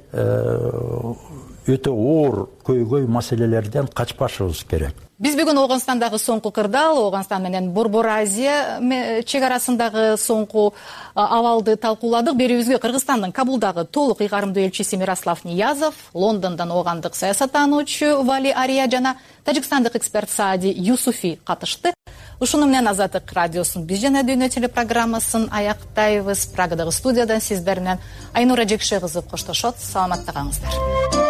өтө оор көйгөй маселелерден качпашыбыз керек. Биз бүгүн Ооганстандагы соңку кырдаал, Ооганстан менен Борбор Азия чек арасындагы соңку абалды талкууладык. Берүүбүзгө Кыргызстандын Кабулдагы толук ыйгарымдуу элчиси Мирослав Ниязов, Лондондон оогандык саясаттануучу Вали Ария жана тажикстандык эксперт Саади Юсуфи катышты. Ушуну менен Азаттык радиосунун Биз жана дүйнө телепрограммасын аяктайбыз. Прагадагы студиядан сиздер менен Айнура Жекше кызы коштошот. Саламатта калыңыздар.